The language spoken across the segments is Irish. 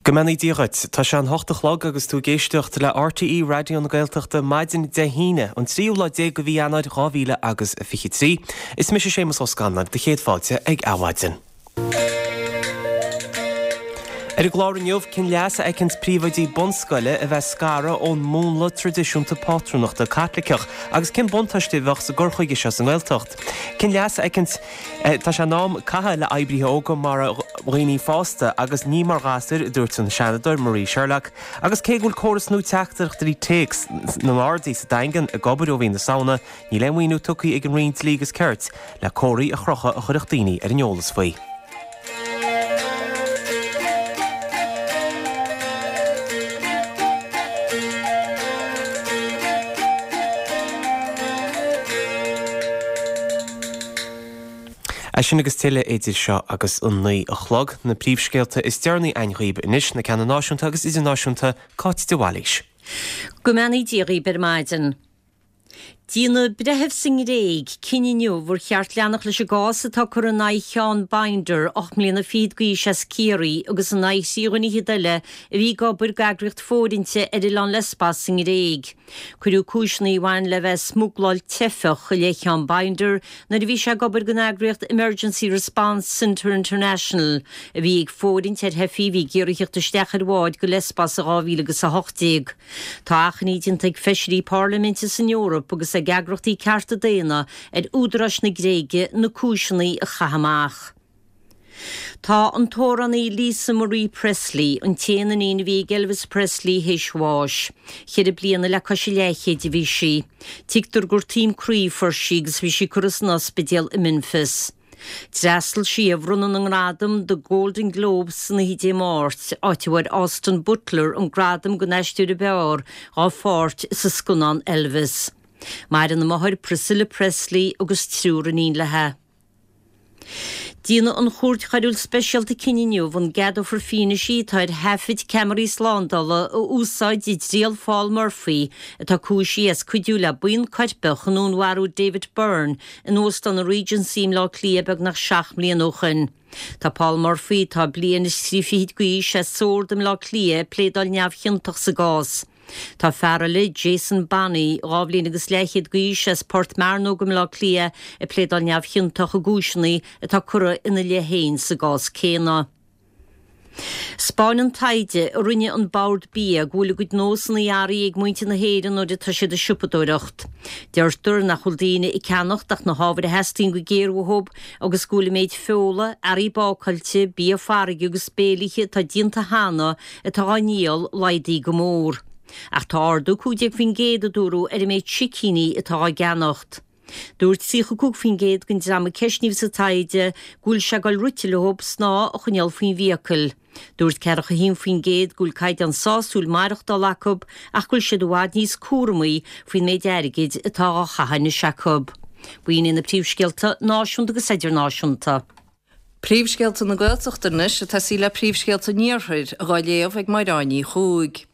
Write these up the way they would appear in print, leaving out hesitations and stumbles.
Go mbeannaí Dia dhuit. Tá sé an hocht a chlog agus tú ag éisteacht le RTÉ Raidió na Gaeltachta maidin Dé hAoine, an tríú lá déag de mhí Eanáir 2000 agus 23. Is mise Séamus Ó Scanláin, do chéad fáilte ag Adhmhaidin. Ar an gclár inniu, cén leas a fheiceanns príomhoidí bunscoile a bheith scartha ón múnla traidisiúnta pátrúnachta Caitliceach agus cén buntáiste a bheadh sa gcur chuige seo sa nGaeltacht? Cén leas a fheiceanns Tá sé in am caitheamh le oibrithe óga mar dhaoine fásta agus ní mar ghasúir, a dúirt an Seanadóir Marie Sherlock. Agus cé go bhfuil córas nua teachtaireachtaí téacs na nGardaí sa Daingean ag obair ó mhí na Samhna, níl aon mhaoiniú tugtha ag an Roinn Dlí agus Cirt le comharthaí a chrochadh a chuirfeadh daoine ar an eolas faoi. É sin agus tuilleadh idir seo agus an 9 a chlog. Na príomhscéalta is deireanaí againn dhaoib anois, na ceanna náisiúnta agus idirnáisiúnta, Cáit de Bhailís. Go mbeannaí Dia dhaoib ar maidin. Déanfaidh breitheamh sa nGréig cinneadh inniu ar cheart leanacht leis an gcás atá curtha in aghaidh Sheán Binder, 8 mbliana fichead d'aois as Ciarraí, agus in aghaidh thrí dhuine fhichead eile a bhí ag obair d'eagraíocht fóirithinte ar oileán Lesbos sa nGréig. Cuireadh cúiseanna a bhain le bheith ag smugláil teifeach i leith Sheán Binder nuair a bhí sé ag obair don eagraíocht Emergency Response Centre International a bhí ag fóirithint ar theifigh a bhí ag iarraidh theacht isteach ar bhád go Lesbos i 2018. Tá achainí déanta ag feisirí parlaiminte san Eoraip agus ag eagrachtaí cearta daonna ar údaráis na Gréige na cúiseanna a chaitheamh amach. Tá an t-amhránaí Lisa Marie Presley, an t-aon iníon a bhí ag Elvis Presley, théis bháis. Cheithre bliana le cois a leathchéid a bhí sí. Tuigtear gur taom croí a fuair sí agus bhí sí curtha san ospidéal i Memphis. D'fhreastail sí ar bhronnadh na ngradam The Golden Globes san oíche Dé Máirt, áit a bhfuair Austin Butler an gradam don aisteoir ab fhearr dá pháirt sa scannán Elvis. Maireann a máthair Priscilla Presley agus triúr iníon léi. Déanfaidh an Chúirt Choiriúil Speisialta cinneadh inniu an gceadófar fianaise atá ar thaifid ceamaraí slándála a úsáid i dtriail Phaul Murphy, atá cúisithe as cuidiú le buíon coirpeach chun dúnmharú David Byrne in Óstán an Regency i mBleá Cliath beagnach 7 mbliana ó shoin. Tá Paul Murphy, atá bliain is trí fichid d'aois, as Sord i mBleá Cliath, ag pléadáil neamhchiontach sa gcás. Tá fear eile, Jason Bonney, 2 bhliain agus leathchéad d'aois, as Port Mearnóg i mBleá Cliath, ag pléadáil neamhchiontach i gcúiseanna atá curtha ina leith féin sa gcás céanna. 'Spáineann taighde a rinne an Bord Bia go bhfuil a gcuid nósanna athraithe ag muintir na hÉireann nuair atá siad ag siopadóireacht. Deirtear nach bhfuil daoine ag ceannacht ach na hábhair a theastaíonn go géar uathu agus go bhfuil an méid feola, earraí bácáilte, bia farraige agus béilithe atá déanta cheana atá á ndíol laghdaithe go mór. Ach tá ardú 15% a dúradh ar an méid sicíní atá á gceannacht. Dúirt 35% den dream a ceistníodh sa taighde go bhfuil sé ag dul rite leo snáth a choinneáil faoin bhfiacail. Dúirt 41% go bhfuil caighdeán sásúil maireachtála acu ach go bhfuil siad i bhfad níos cúramaí faoin méid airgid atá á chaitheamh anois acu. B'in iad na príomhscéalta náisiúnta agus idirnáisiúnta. Príomhscéalta na Gaeltachta anois ag tosaí le príomhscéalta an Iarthair, dhá léamh ag Mairéad Ní Chuaig.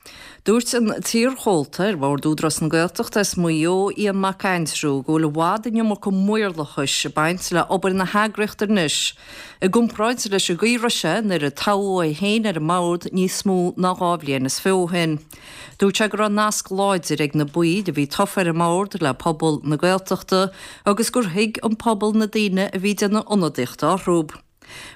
Dúirt an t-iarchomhalta ar Bhord Údarás na Gaeltachta as Maigh Eo, Ian Mac Aindriú, go bhfuil i bhfad an iomarca maorlathais ag baint le obair na heagraíochta anois, i gcomparáid leis an gcaoi a raibh sé nuair a toghadh é féin ar an mbord níos mó ná 2 bhliain is fiche ó shin. Dúirt sé go raibh nasc láidir ag na baill a bhí tofa ar an mbord le pobal na Gaeltachta agus gur thuig an pobal na daoine a bhí ag déanamh ionadaíochta orthu.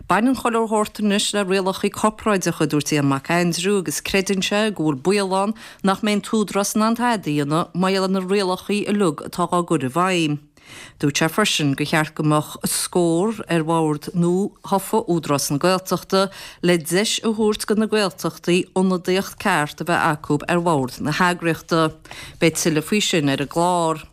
Baineann chuile shórt anois le rialacha corparáideacha, a dúirt Ian Mac Aindriú, agus creideann sé go bhfuil baol ann nach mbeidh an tÚdarás in ann tada a dhéanamh mar gheall ar na rialacha uilig atá á gcur i bhfeidhm. Dúirt sé freisin gur cheart go mbeadh scór ar bhord nua-thofa Údarás na Gaeltachta le deis a thabhairt do na Gaeltachtaí ionadaíocht ceart a bheith acu ar bhord na heagraíochta. Beidh tuilleadh faoi sin ar an gclár.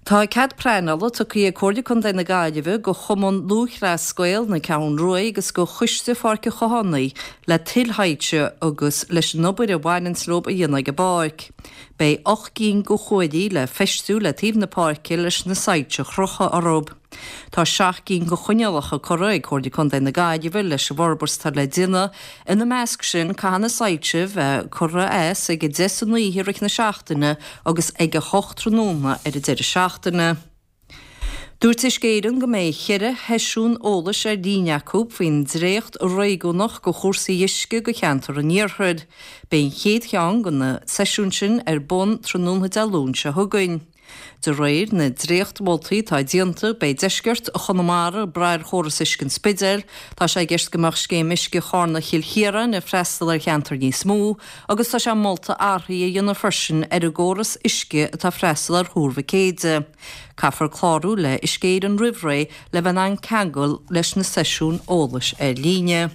Tá cead pleanála tugtha ag Comhairle Contae na Gaillimhe do Chumann Lúthchleas Gael na Ceathrún Rua agus do Choiste Pháirc an Chathánaigh le tuilshoilse agus leis an obair a bhaineanns leo a dhéanamh ag an bpáirc. Beidh 8 gcinn de chuaillí le feistiú le taobh na páirce leis na soilse a chrochadh orthu. Tá 7 gcinn de choinníollacha curtha ag Comhairle Contae na Gaillimhe leis an bhforbairt atá le déanamh. Ina measc sin, caithfidh na soilse bheith curtha as ag 10 san oíche i rith na seachtaine agus ag 8 tráthnóna ar an deireadh seachtaine. Dúirt Uisce Éireann go mbeidh cheithre sheisiún eolais ar líne acu faoin dréacht réigiúnach go chúrsaí uisce go cheantar an iarthair. Beidh an chéad cheann de na seisiúin sin ar bun tráthnóna Dé Luain seo chugainn. De réir na dréacht-mholtaí atá déanta, beidh deisceart Chonamara ag brath ar chóras uisce an Spidéil, tá sé i gceist go mbeadh scéim uisce Charna-Chill Chiaráin ag freastal ar cheantar níos mó agus tá sé molta athruithe a dhéanamh freisin ar an gcóras uisce atá ag freastal ar Thuar Mhic Éide. Caithfear clárú le Uisce Éireann roimh ré le bheith in ann ceangal leis na seisiúin eolais ar líne.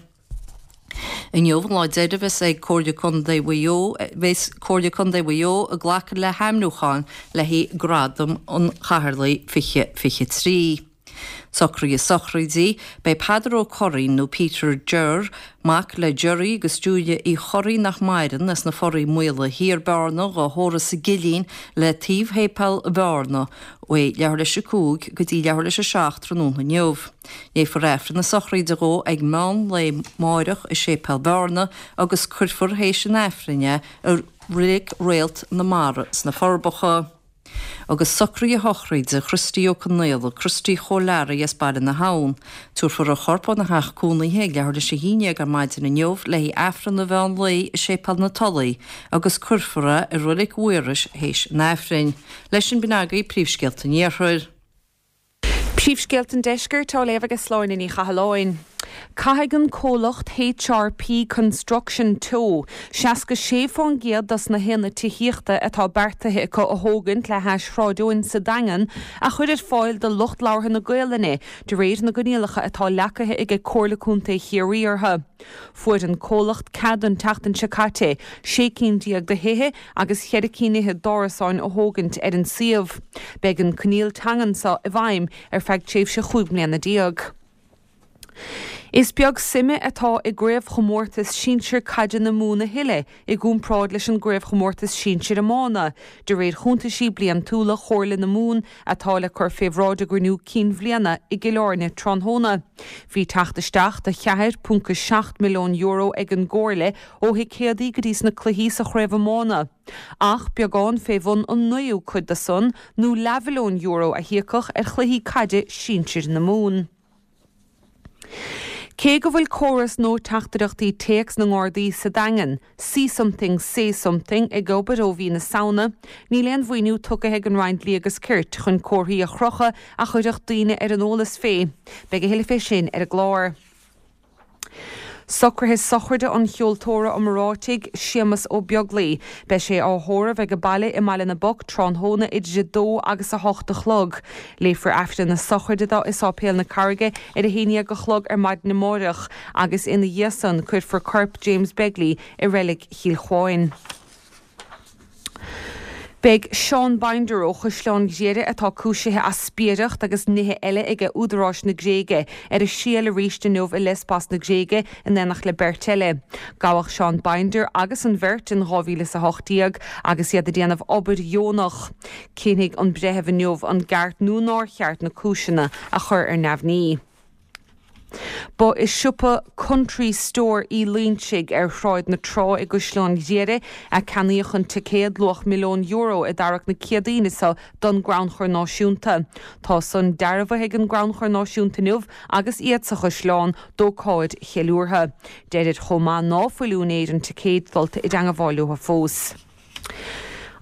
Inniu an lá deiridh a bheas ag Comhairle Contae Mhaigh Eo bheas Comhairle Contae Mhaigh Eo ag glacadh le hainmniúcháin le haghaidh Gradam an Chathaoirligh 2023. Socruithe sochraide, Beidh Peadar Ó Curraoin, nó Peter Ger, mac le Gerry agus Julia Uí Churraoin nach maireann, as na Foraí Maola Thiar, Bearna, dhá thórramh sa gCillín le taobh Shéipéal Bhearna, uaidh leathuair leis a 5 go dtí leathuair leis a 7 tráthnóna inniu. Léifear Aifreann na sochraide dhó ag meán lae máireach i Séipéal Bhearna agus cuirfear théis an Aifrinn é i Reilig Réalt na Mara sna Forbacha. Agus socruithe sochraide Christy Ó Conaola, Christy Chóil Learaí as Baile na hAbhann. Tabharfar a chorp óna theach cónaithe ag leathuair leis a haon dhéag ar maidin inniu le haghaidh Aifreann an mheán lae i Séipéal na Tulaí agus cuirfear é i Reilig Mhaorais théis an Aifrinn. Leis sin b'in agaibh príomhscéalta an Iarthair. Príomhscéalta an Deiscirt á léamh ag Sláine Ní Chathalláin. Caithfidh an comhlacht HRP Construction Teo. 66% dos na haonaid tithíochta atá beartaithe acu a thógaint le hais Shráid Eoin sa Daingean a chur ar fáil do lucht labhartha na Gaolainne de réir na gcoinníollacha atá leagtha aige Comhairle Contae Chiarraí orthu. Fuair an comhlacht cead an tseachtain seo caite 16 cinn de thithe agus cheithre cinn fhichead d'árasáin a thógaint ar an suíomh. Beidh an coinníoll teangan seo i bhfeidhm ar feadh tréimhse 15 mbliana. Is beag suime atá i gCraobhchomórtas Sinsir Caide na Mumhan a thuilleadh i gcomparáid leis an gCraobhchomórtas Sinsir Iomána, de réir chuntaisí bliantúla Chomhairle na Mumhan atá le cur fé bhráid a gcruinniú cinn bhliana i gCill Airne tráthnóna. Bhí teacht isteach de €4.7 milliún ag an gComhairle ó thicéadaí go dtí sna cluichí sa chraobh iomána, ach beagán fé bhun an naoú cuid de san, nó leathmhilliún euro a híocadh ar chluichí caide sinsir na Mumhan. Cé go bhfuil córas nua teachtaireachtaí téacs na nGardaí sa Daingean, See Something, Say Something, ag obair ó mhí na Samhna, níl aon mhaoiniú tugtha ag an Roinn Dlí agus Cirt chun comharthaí a chrochadh a chuirfeadh daoine ar an eolas fé. Beidh a thuilleadh fé sin ar an gclár. Socruithe sochraide an cheoltóra iomráitigh, Séamus Ó Beaglaoi. Beidh sé á thórramh ag baile i mBaile na bPoc tráthnóna idir 2 agus 8 a chlog. Léifear Aifreann na sochraide dó i Sáipéal na Carraige ar 11 a chlog ar maidin amáireach agus ina dhiaidh san cuirfear corp James Begley i Reilig Chill Chuáin. Beidh Seán Binder ó Chaisleán Ghriaire atá cúisithe as spiaireacht agus nithe eile aige údaráis na Gréige ar a thriail arís inniu i Lesbos na Gréige in éineacht le beirt eile. Gabhadh Seán Binder agus an bheirt in 2018 agus iad ag déanamh obair dheonach. Cinnfidh an breitheamh inniu an gceart nó nár cheart na cúiseanna a chur ar neamhní. Ba i siopa Country Store Uí Loinsigh ar Shráid na Trá i gCaisleán Ghriaire a ceannaíodh an ticéad luach €1,000,000 i dtarrac na Céadaoine seo don gCrannchur Náisiúnta. Tá san dearbhaithe ag an gCrannchur Náisiúnta inniu agus iad sa Chaisleán d'ócáid cheiliúrtha. Deirid chomh maith ná fuil úinéir an ticéid dulta i dteangabháil leo fós.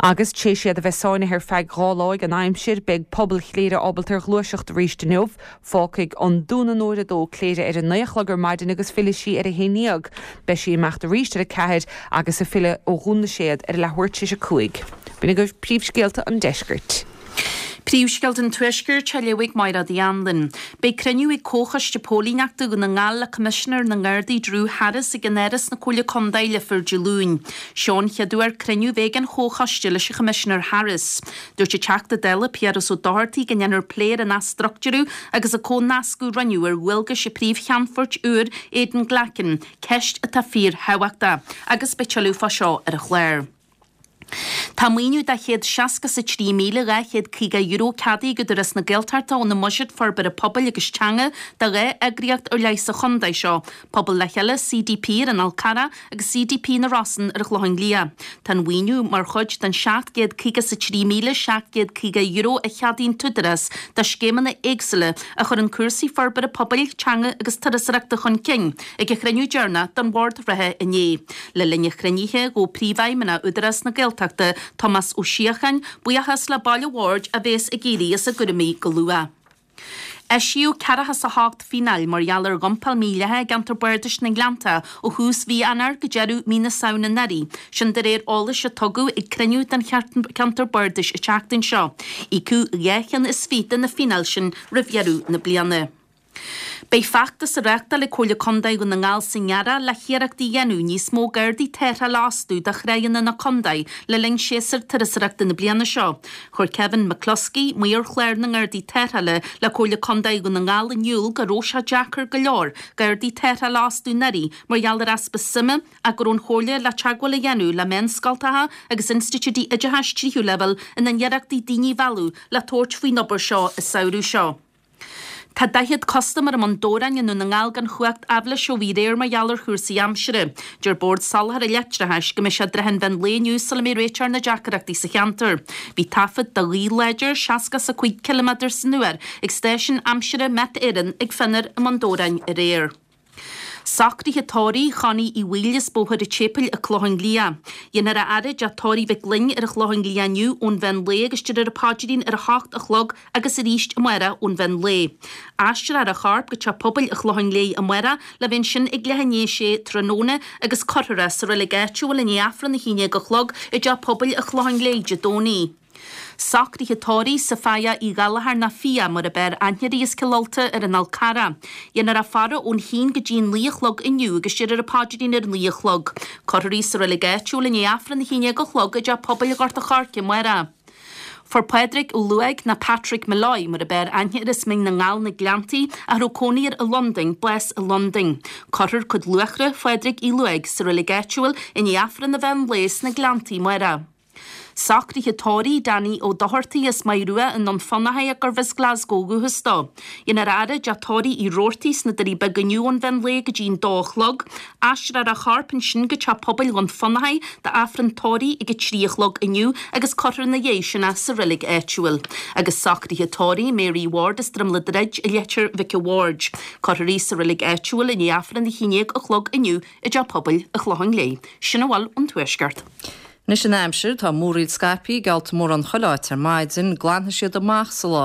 Agus tréis iad a bheith sáinnithe ar feadh 2 lá ag an aimsir, beidh pobal Chléire ábalta ar ghluaiseacht arís inniu. Fágfaidh an Dún an Uair 2 Cléire ar a 9 a chlog ar maidin agus fillfidh sí ar a 11. Beidh sí ag imeacht arís ar a 4 agus ag filleadh ó Dhún na Séad ar a leathuair tar éis a 5. B'in agaibh príomhscéalta an deiscirt. Príomhscéalta an Tuaiscirt á léamh ag Máire Uí Anluain. Beidh cruinniú ag Comhchoiste Póilíneachta Dhún na nGall le Coimisinéir na nGardaí Drew Harris ag in Áras na Comhairle Contae Leifear Dé Luain. Seo an chéad uair cruinniú a bheidh ag an Chomhchoiste leis an Choimisinéir Harris. Dúirt an Teachta Dála Piaras Ó Dochartaigh go ndéanfar plé ar an athstruchtúrú agus an comhnascadh a rinneadh ar dhualgais an phríomh-cheannfoirt úir Aidan Glackin, ceist atá fíor-thábhachtach, agus beidh tuilleadh fá seo ar an chlár. Tá maoiniú de €163,250 ceadaithe ag Údarás na Gaeltachta óna mbuiséad forbartha pobail agus teanga do dhá eagraíocht ar leith sa chontae seo, Pobal le Chéile, CDP, ar an Fhál Carrach agus CDP na Rosann ar an Chlochán Liath. Tá an mhaoiniú mar chuid den €753,750 a cheadaigh an tÚdarás do scéimeanna éagsúla a chuireann cúrsaí forbartha pobail, teanga agus turasóireachta chun cinn ag a chruinniú deireanach den bhord reatha inné. Le linn an chruinnithe, ghabh Príomhfheidhmeannach Údarás na Gaeltachta, Tomás Ó Síocháin, buíochas le baill an bhoird a bhéas ag éirí as a gcúraimí go luath. Eisíodh 48 fíneáil mar gheall ar dhumpáil mhídhleathach i gceantar bardais na nGleanntach ó thús mhí Eanáir go deireadh mí na Samhna anuraidh, sin de réir eolais a tugadh ag cruinniú den cheantar bardais an tseachtain seo. Íocadh 225 de na fíneáil sin roimh dheireadh na bliana. Beidh feachtas á reáchtáil ag Comhairle Contae Dhún na nGall san earrach le hiarracht a dhéanamh níos mó gardaí tarrthála a fhostú do thráigheanna na contae le linn séasúr turasóireachta na bliana seo. Chuir Kevin McCluskey, Maor Chlár na nGardaí Tarrthála le Comhairle Contae Dhún na nGall in iúl go raibh sé deacair go leor gardaí tarrthála a fhostú anuraidh mar gheall ar easpa suime ach go raibh an Chomhairle le teagmháil a dhéanamh le meánscoltacha agus institiúidí oideachais tríú leibhéal ina n-iarrachtaí daoine a mhealladh le tabhairt faoin obair seo an samhradh seo. Tá 40 custaiméir i mBun Dobhráin i nDún na nGall gan chumhacht aibhléise ó bhí aréir mar gheall ar chúrsaí aimsire. Deir Bord Soláthair Leictreachais go mbeidh sé i dtrátha an mheán lae inniu sula mbeidh réiteach ar na deacaireachtaí sa cheantar. Bhí taifead de ghaoth láidir 65 ciliméadar san uair ag stáisiún aimsire Met Éireann ag Fionnar i mBun Dobhráin aréir. Socruithe tórraimh Chonnie Uí Bhaoill as Bóthar an tSéipéil an Clochán Liath. Dhéanfar a fhaire i dteach tórraimh Mhic Fhloinn ar an Chlochán Liath inniu ón mheán lae agus déarfar an paidrín ar a hocht a chlog agus arís amárach ón mheán lae. Aistreofar a chorp go Teach Pobail an Chlocháin Léith amárach le bheith ansin ag leath i ndiaidh a sé tráthnóna agus cuirfear é sa reilig áitiúil i ndiaidh Aifreann a haon déag a chlog i dTeach Pobail an Chlocháin Léith Dé Domhnaigh. Socruithe tórraimh Sophia Uí Ghallchóir ná Fia mar ab fhearr aithne uirthi as Cill Ulta ar an Fhál Carrach. Dhéanfar a faire ón haon go dtí an naoi a chlog inniu agus déarfar an paidrín ar a naoi a chlog. Cuirfear í sa reilig áitiúil i ndiaidh Aifreann a haon déag a chlog i dTeach Pobail Ghort a' Choirce amárach. Fuair Pádraig Ó Luaigh ná Patrick Molloy mar ab fhearr aithne air as Mín na nGall na Gleanntaí a raibh cónaí air i Londain, bás i Londain. Cuirfear cuid luachra Phádraig Uí Luaigh sa reilig áitiúil i ndiaidh Aifreann an mheán lae sna Gleanntaí amárach. Socruithe tórraimh Danny Ó Dochartaigh as Maigh Rua i nDún Fionnachaidh gurbh as Glasgow ó dhúchas dó. Dhéanfar a fhaire i dteach tórraimh Uí Robhartaigh sna Doirí Beaga inniu ón mheán lae go dtí an dó a chlog. Aistreofar a chorp ansin go teach pobail Dhún Fionnachaidh d'Aifreann tórraimh ag a 3 a chlog inniu agus cuirfear ina dhiaidh sin é sa reilig áitiúil. Agus socruithe tórraimh Mary Ward as Droim le Druid i Leitir Mhic a' Bhaird. Cuirfear í sa reilig áitiúil i ndiaidh Aifreann a 11 a chlog inniu i dTeach Pobail an Chlocháin Léith. Sin a bhfuil ón Tuaisceart. Anois an aimsir, tá múraíl scaipthe geallta mórán chuile áit ar maidin, glanfaidh siad amach sa lá,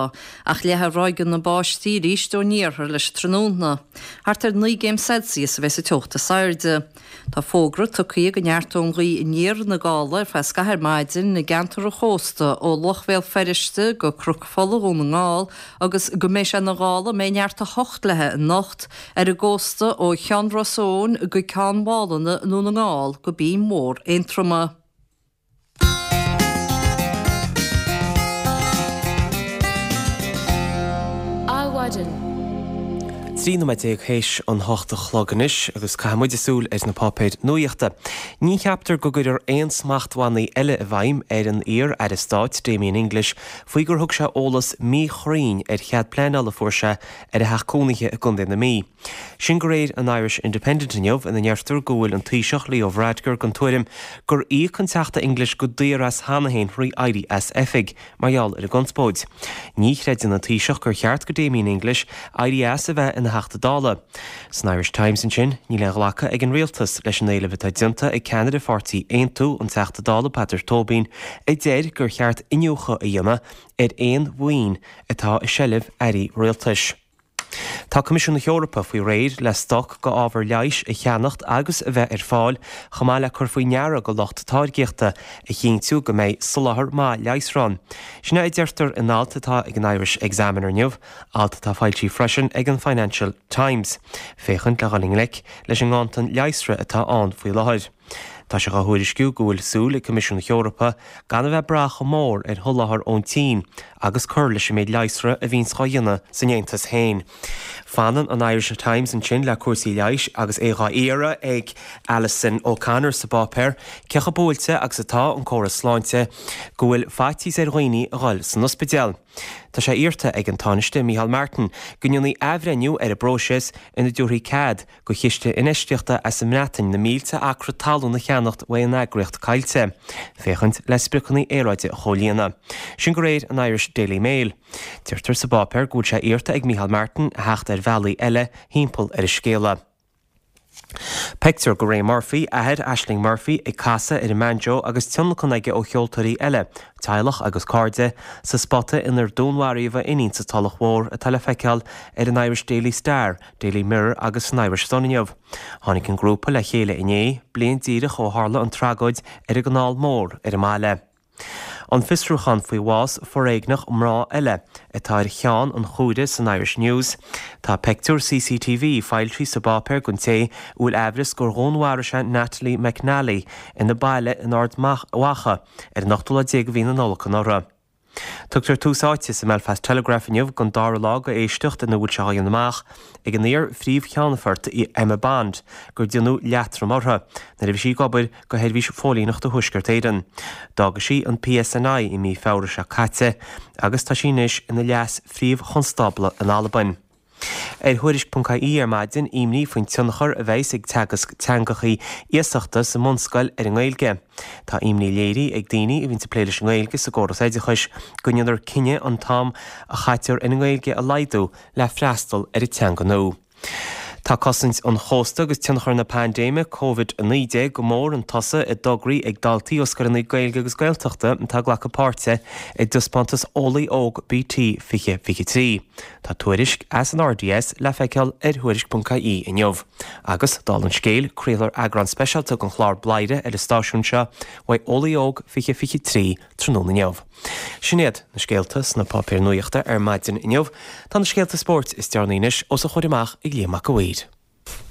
ach leathfaidh ráigeanna báistí arís ón iarthar leis an tráthnóna. Thart ar 9 gcéim Celsius a bheidh sa teocht is airde. Tá fógra tugtha go neartóidh an ghaoth aniar na gála ar feadh scaithimh ar maidin i gceantar an chósta ó Loch Bhéal Feirste go Cnoc Fola Dhún na nGall agus go mbeidh sé ina ghála a mbeidh neart 8 léi anocht ar an gcósta ó Cheann Ros Eoghain go Ceann Mhálanna i nDún na nGall go Binn Mhór Aontroma. Adhmhaidin. 13 nóiméad théis an hocht a chlog anois agus caithfidh muid súil ar na páipéir nuaíochta. Ní cheaptar go gcuirfear aon smachtbhannaí eile i bhfeidhm ar an iar-aire stáit Damien English faoi gur thug sé eolas míchruinn ar chead pleanála a fuair sé ar a theach cónaithe i gContae na Mí. Sin de réir an Irish Independent inniu ina ndeirtear go bhfuil an Taoiseach Leo Varadkar den tuairim gur íoc an Teachta English go daor as cheana féin thrí éirí as oifig mar gheall ar an gconspóid. Ní chreideann an Taoiseach gur cheart go Damien English éirí as a bheith ina Theachta Dála. San Irish Times ansin, níl aon ghlacadh ag an Rialtas leis an éileamh atá déanta ag ceannaire pháirtí Aontú, an Teachta Dála Peadar Tóibín, a deir gur cheart iniúchadh a dhéanamh ar aon mhaoin atá i seilbh airí rialtais. Tá Coimisiún na hEorpa faoi réir le stoc go ábhar leighis a cheannacht agus a bheith ar fáil, chomh maith le cur faoi ndeara go lucht táirgíochta a chinntiú go mbeidh soláthar maith leigheasra ann. Sin é a deirtear in alt atá ag an Irish Examiner inniu, alt atá foilsithe freisin ag an Financial Times, féachaint le dhul i ngleic leis an nganntan leigheasra atá ann faoi láthair. Tá sé dhá thuairisciú go bhfuil súil ag Coimisiún na hEorpa gan a bheith ag brath chomh mór ar sholáthar ón tSín agus cur leis an méid leigheasra a bhíonns dhá dhéanamh san Aontas féin. Fanann an Irish Times ansin le cúrsaí leighis agus é dhá iarraidh ag Alison O'Connor sa bpáipéar cé chomh buailte agus atá an córas sláinte go bhfuil faitíos ar dhaoine a dhul san ospidéal. Tá sé iarrta ag an Tánaiste Micheál Martin go ndéanfaí athbhreithniú ar an bpróiseas ina dtabharfaí cead go chiste infheistíochta as an mBreatain na mílte acra talún a cheannacht uaidh an eagraíocht Coillte, féachaint le spriocanna aeráide a chomhlíonadh. Sin de réir an Irish Daily Mail. Deirtear sa bpáipéar go bhfuil sé iarrta ag Micheál Martin a theacht ar bhealaí eile thimpeall ar an scéala. Pictiúr de Ray Murphy, athair Ashling Murphy, ag casadh ar an mbanjo agus tionlacan aige ó cheoltóirí eile, teaghlach agus cairde, sa spota inar dúnmharaíodh a iníon sa Tulach Mhór atá le feiceáil ar an Irish Daily Star Daily Mirror agus san Irish Sun inniu. Tháinig an grúpa le chéile inné, bliain díreach ó tharla an tragóid ar an gCanáil Mór ar an mbaile. An fiosrúchán faoi bhás foréigneach mná eile atá ar cheann an chuaire san Irish News. Tá peictiúr CCTV foilsithe sa bpáipéar den té a bhfuil aimhreas gur dhúnmharaigh sé Natalie McNally ina baile in Ard Mhacha ar an ochtú lá déag de mhí na Nollag anuraidh. Tugtar tús áite sa mBelfast Telegraph inniu don dara lá de éisteacht ina bhfuil sé á dhéanamh amach ag an iar-phríomh-cheannfort Emma Bond gur déanadh leatrom uirthi nuair a bhí sí ag obair do Sheirbhís Phóilíneachta Thuaisceart Éireann. D'fhága sí an PSNI i mí Feabhra seo caite agus tá sí anois ina leas-phríomh-chonstábla in Albain. Ar Thuairisc.ie ar maidin, imní faoin tionchar a bheas ag teagasc teangachaí iasachta sa mbunscoil ar an nGaeilge. Tá imní léirithe ag daoine a bhíonns ag plé leis an nGaeilge sa gcóras oideachais go ndéanfar cinneadh an t-am a chaitear ar an nGaeilge a laghdú le freastal ar an teanga nua. Tá cosaint an chósta agus tionchar na paindéime Covid-19 go mór chun tosaigh i dtograí ag daltaí ó scoileanna Gaeilge agus Gaeltachta atá ag glacadh páirte i dtaispeántas Eolaí Óg BT 2023. Tá tuairisc as an RDS le feiceáil ar Thuairisc.ie inniu. Agus, dála an scéil, craolfar eagrán speisialta den chlár Bladhaire ar an stáisiún seo uaidh Eolaí Óg 2023 tráthnóna inniu. Sin iad na scéalta sna páipéir nuachta ar maidin inniu. Tá na scéalta spóirt is deireanaí anois os a chomhair amach ag Liam Mac a' Mhaoir.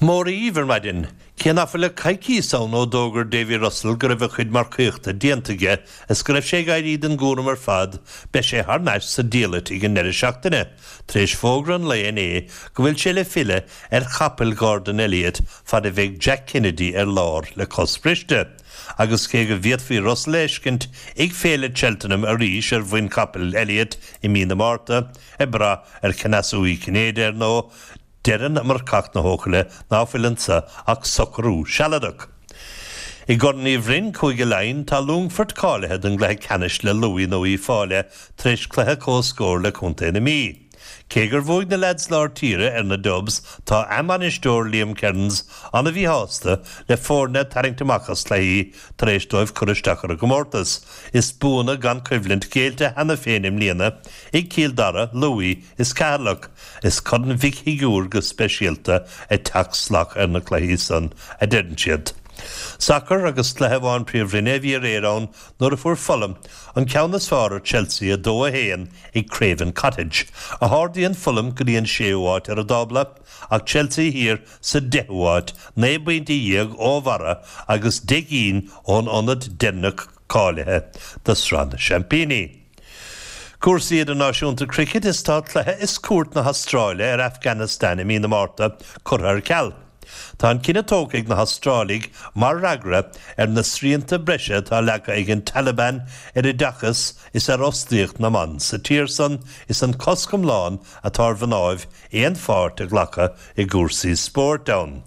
Móra dhíbh ar maidin. Cé ná fuil ach coicíos ann ó d'fhógair Davy Russell go raibh a chuid marcaíochta déanta aige is go raibh sé ag éirí den gcúram ar fad, beidh sé thar n-ais sa diallait ag an ndeireadh seachtaine, tar éis fógra an lae inné go bhfuil sé le filleadh ar chapaill Gordon Elliott fad a bheidh Jack Kennedy ar lár le cos bhriste. Agus cé go bhféadfaí Russell a fheiscint ag Féile Cheltenham arís ar mhuin capaill Elliott i mí na Márta, ag brath ar chneasú Uí Chinnéide ar ndóigh, Deireann marcach na hEochaille ná fuil anso ach socrú sealadach. I gCorn Uí Bhroin, Cúige Laighean, tá Longfort cáilithe don gcluiche ceannais le Lú nó Uíbh Fhailí tar éis cluiche comhscóir le Contae na Mí. Cé gur bhuaigh na leaids lár tíre ar na Dubs, tá a mbainisteoir Liam Kearns an-mhíshásta le foirne ag tarraingt amach as cluichí tar éis dóibh cur isteach ar an gcomórtas. Is buanna gan coimhlint géillte cheana féin i mbliana ag Cill Dara, Lú is Ceatharlach. Is Corn Mhic Shigiúir go speisialta ag teacht salach ar na cluichí san, a deireann siad. Sacar agus cluiche amháin Príomhroinne a bhí aréir ann nuair a fuair Fulham an ceann is fearr ar Chelsea 2-1 ag Craven Cottage, a hardaíonn Fulham go dtí an séú háit ar an dtábla, ach Chelsea thiar sa deichiú háit, 19 bpointe ó bharra agus 10 gcinn ón ionad deireanach cáilithe do Sraith na Seaimpíní. Cúrsaí idirnáisiúnta Cricket is tá cluiche is cuairt na hAstráile ar Afghanistan i mí na Márta curtha ar ceal. Tá an cinneadh tógtha ag na hAstrálaigh mar fhreagra ar na srianta breise atá leagtha ag an Taliban ar oideachas is ar fhostaíocht na mban sa tír san is an cosc iomlán atá ar mhnáibh aon pháirt a ghlacadh i gcúrsaí spóirt ann.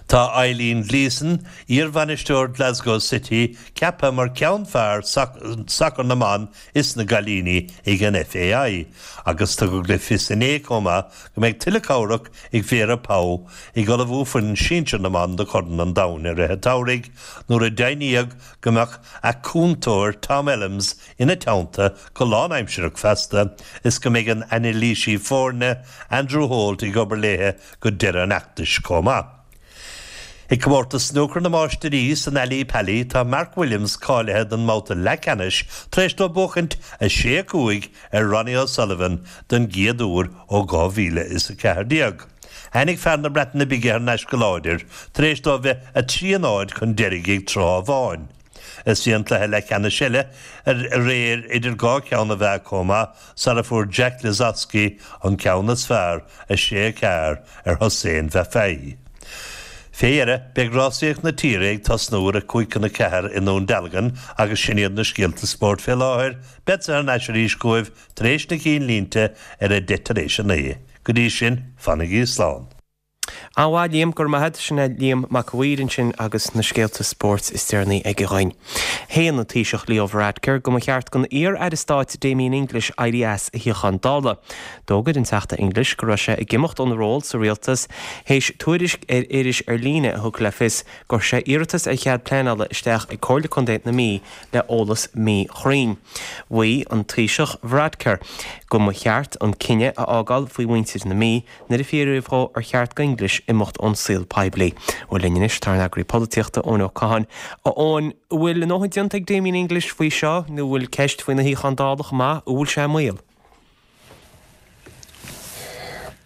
Tá Eileen Gleeson, iarbhainisteoir Glasgow City, ceaptha mar cheann fear sacar na mban is na gcailíní ag an FAI agus tugadh le fios inné chomh maith go mbeidh tuilleadh cabhrach ag Vera Pauw ag ullmhú foireann sinsir na mban do Chorn an Domhain i rith an tsamhraidh nuair a deimhníodh go mbeadh a cúntóir Tom Ellams ina teannta go lánaimsearach feasta is go mbeidh an anailísí foirne Andrew Holt ag obair léithe go deireadh an fheachtais chomh maith. I gcomórtas snúcair na Máistirí san Ally Pally tá Mark Williams cáilithe don mbabhta leathcheannais tar éis dó buachaint 6, 5 ar Ronnie O'Sullivan don gcéad uair ó 2014. Tháinig fear na Breataine Bige thar n-ais go láidir tar éis dó bheith 3-0 chun deiridh ag tráth amháin. Is bhí an cluiche leathcheannais eile aréir idir dhá cheann a mheá chomh maith sara fuair Jack Lisowski an ceann is fearr, 6, 4, ar Hossein Vafaei. Fé dheireadh, beidh rásaíocht na tíre ag tosnú ar a 3:55 i nDún Dealgan agus sin iad na scéalta spóirt fé láthair. Beadsa thar n-ais arís chugaibh tar éis na cinnlínte ar a 9:30 tar éis a 9. Go dtí sin, fanaigí slán. An-mhaith, Liam, go raibh maith agat. Sin é Liam Mac a' Mhaoir ansin agus na scéalta spóirt is deireanaí aige dhuinn. Shéan an Taoiseach Leo Varadkar go mba cheart don iar-aire stáit Damien English éirí as a shuíochán Dála. D'fhógair an Teachta English go raibh sé ag imeacht óna ról sa rialtas théis tuairisc ar iris ar líne a thug le fios gur chuir sé iarratas ar chead pleanála isteach ag Comhairle Contae na Mí le eolas míchruinn. Mhaígh an Taoiseach Varadkar go mba cheart an cinneadh a fhágáil faoi mhuintir na Mí nuair a fiafraíodh dhó ar cheart do English imeacht ón saol poiblí. Bhuel linn anois tá ár n-eagraí polaitíochta, Eoin Ó Catháin. A Eoin, an bhfuil a ndóthain déanta ag Damien English faoi seo nó an bhfuil ceist faoina shuíochán Dála chomh maith? An bhfuil sé i mbaol?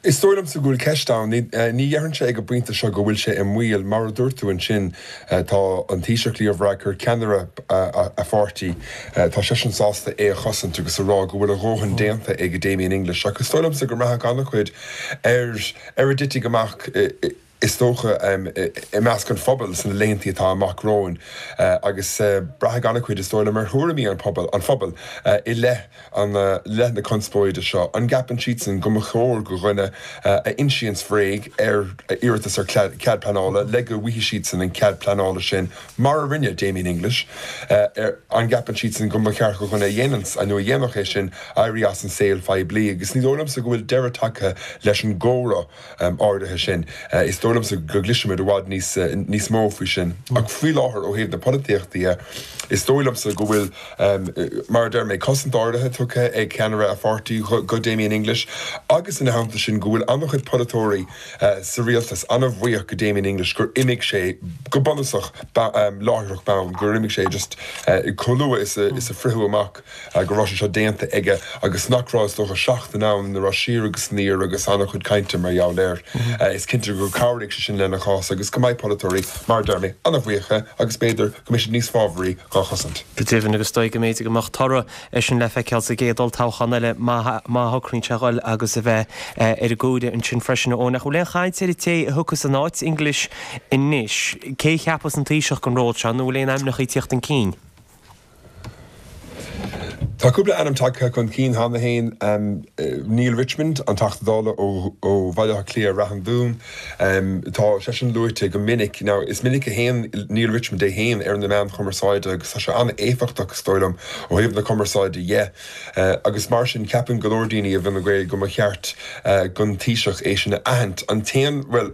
Is dóigh liomsa go bhfuil ceist ann. Ní dhéarfainnse ag an bpointe seo go bhfuil sé i mbaol. Mar a dúirt tú ansin, tá an Taoiseach Leo Varadkar, ceannaire a pháirtí, tá seisean sásta é a chosaint agus a rá go bhfuil a dhóthain déanta ag Damien English. Ach is dóigh liomsa go mbraithfidh an-chuid ar ar a dtitfidh amach is dócha, i measc an phobail sna laethanta atá amach romhainn agus braithfidh an-chuid, is dóigh liom, ar thuairimí an phobail, an phobail i leith an leith na conspóide seo. An gceapann siadsan go mba chóir go dhuine a insíonns bréag ar iarratas ar chead pleanála le go bhfaighidh siadsan an cead pleanála sin, mar a rinne Damien English, an gceapann siadsan go mba cheart go dhuine a dhéananns nó a dhéanfadh é sin éirí as an saol phoiblí? Agus ní dóigh liomsa go bhfuil deireadh tagtha leis an gcomhrá. áirithe sin. Is dóigh liomsa go gcloisfimid i bhfad níos níos mó faoi sin. Ach faoi láthair, ó thaobh na polaitíochta dhe, is dóigh liomsa go bhfuil, mar a deir mé, cosaint áirithe tugtha ag ceannaire a pháirtí go Damien English agus ina theannta sin go bhfuil an-chuid polaiteoirí sa rialtas an-bhuíoch go Damien English gur imigh sé go bunúsach láithreach bonn, gur imigh sé just chomh luath is a fritheadh amach. go raibh sé seo déanta aige agus nach raibh, is dócha, seachtain ann ina raibh siar agus aniar agus an-chuid cainte mar gheall air. Is cinnte gur chabhraigh sé sin lena chás agus go mbeidh polaiteoirí, mar a deir mé, an-bhuíoch dhe agus b'fhéidir go mbeidh siad níos fábharaí dhá chosaint. Go deimhin, agus is dóigh go mb'fhéidir go mbeadh toradh air sin le feiceáil sa gcéad olltoghchán eile má shocraíonn sé a dhul agus a bheith ar an gcomhairle ansin freisin. A Eoin, ach an bhfuil aon chaint ar an té a thiocfas in áit English anois? Cé a cheapfas an Taoiseach don ról seo nó an bhfuil aon ainmneacha ag tíocht chun cinn? Tá cúpla ainm tagtha chun cinn cheana féin, Neale Richmond, an Teachta Dála ó Bhaile Átha Cliath, Rath an Dúin, tá seisean luaite go minic. Now, is minic a théann Neale Richmond é féin ar na meáin chumarsáide agus tá sé an-éifeachtach, is dóigh liom, ó thaobh na cumarsáide dhe. Agus mar sin, ceapann go leor daoine i bhFine Gael go mba cheart don Taoiseach é sin a aithint. An t-aon, bhuel,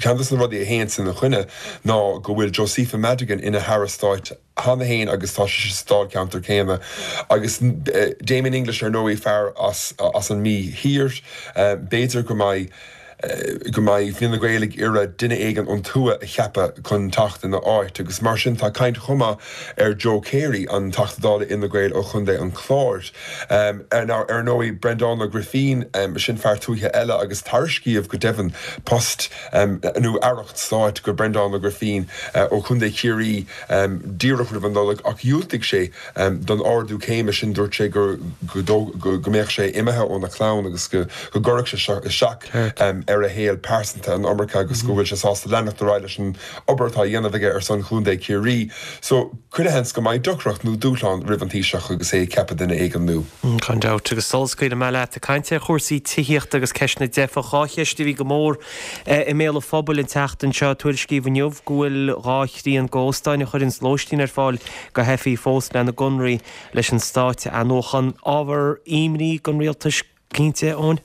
ceann de na rudaí a théanns ina choinne ná go bhfuil Josepha Madigan ina hAire Stáit cheana féin agus tá sise sa dáilcheantar céanna agus Damien English ar ndóigh, fear as an Mí Thiar. B'fhéidir go mbeidh go mbeidh Fine Gael ag iarraidh duine éigin ón tuath a cheapadh chun teacht ina áit agus mar sin tá caint chomh maith ar Joe Carey, an Teachta Dála Fhine Gael ó Chontae an Chláir. Ar ndóigh Breandán Ó Grifín, sin fear tuaithe eile agus tairiscíodh go deimhin post nó aireacht stáit go Breandán Ó Grifín ó Chontae Chiarraí díreach roimh an Nollaig ach dhiúltaigh sé don ardú céime sin. Dúirt sé go mbeadh sé imithe óna chlann agus go gcuirfeadh sé seo isteach ar a shaol pearsanta an iomarca agus go bhfuil sé sásta leanacht ar aghaidh leis an obair atá á dhéanamh aige ar son Chontae Chiarraí. So, chuile sheans go mbeidh deacracht nó dúshlán roimh an Taoiseach agus é ag ceapadh duine éigin nua. Gan dabht. Agus sula scaoilfidh mé leat, ag caint ar chúrsaí tithíochta agus ceist na dteifeach, dhá cheist a bhí go mór I mbéal an phobail an tseachtain seo, tuairiscíodh inniu go bhfuil 2 thrian d'óstáin a chuireanns lóistín ar fáil do theifigh fós lena gconraí leis an stát a athnuachan. Ábhar imní don rialtas cinnte, Eoin?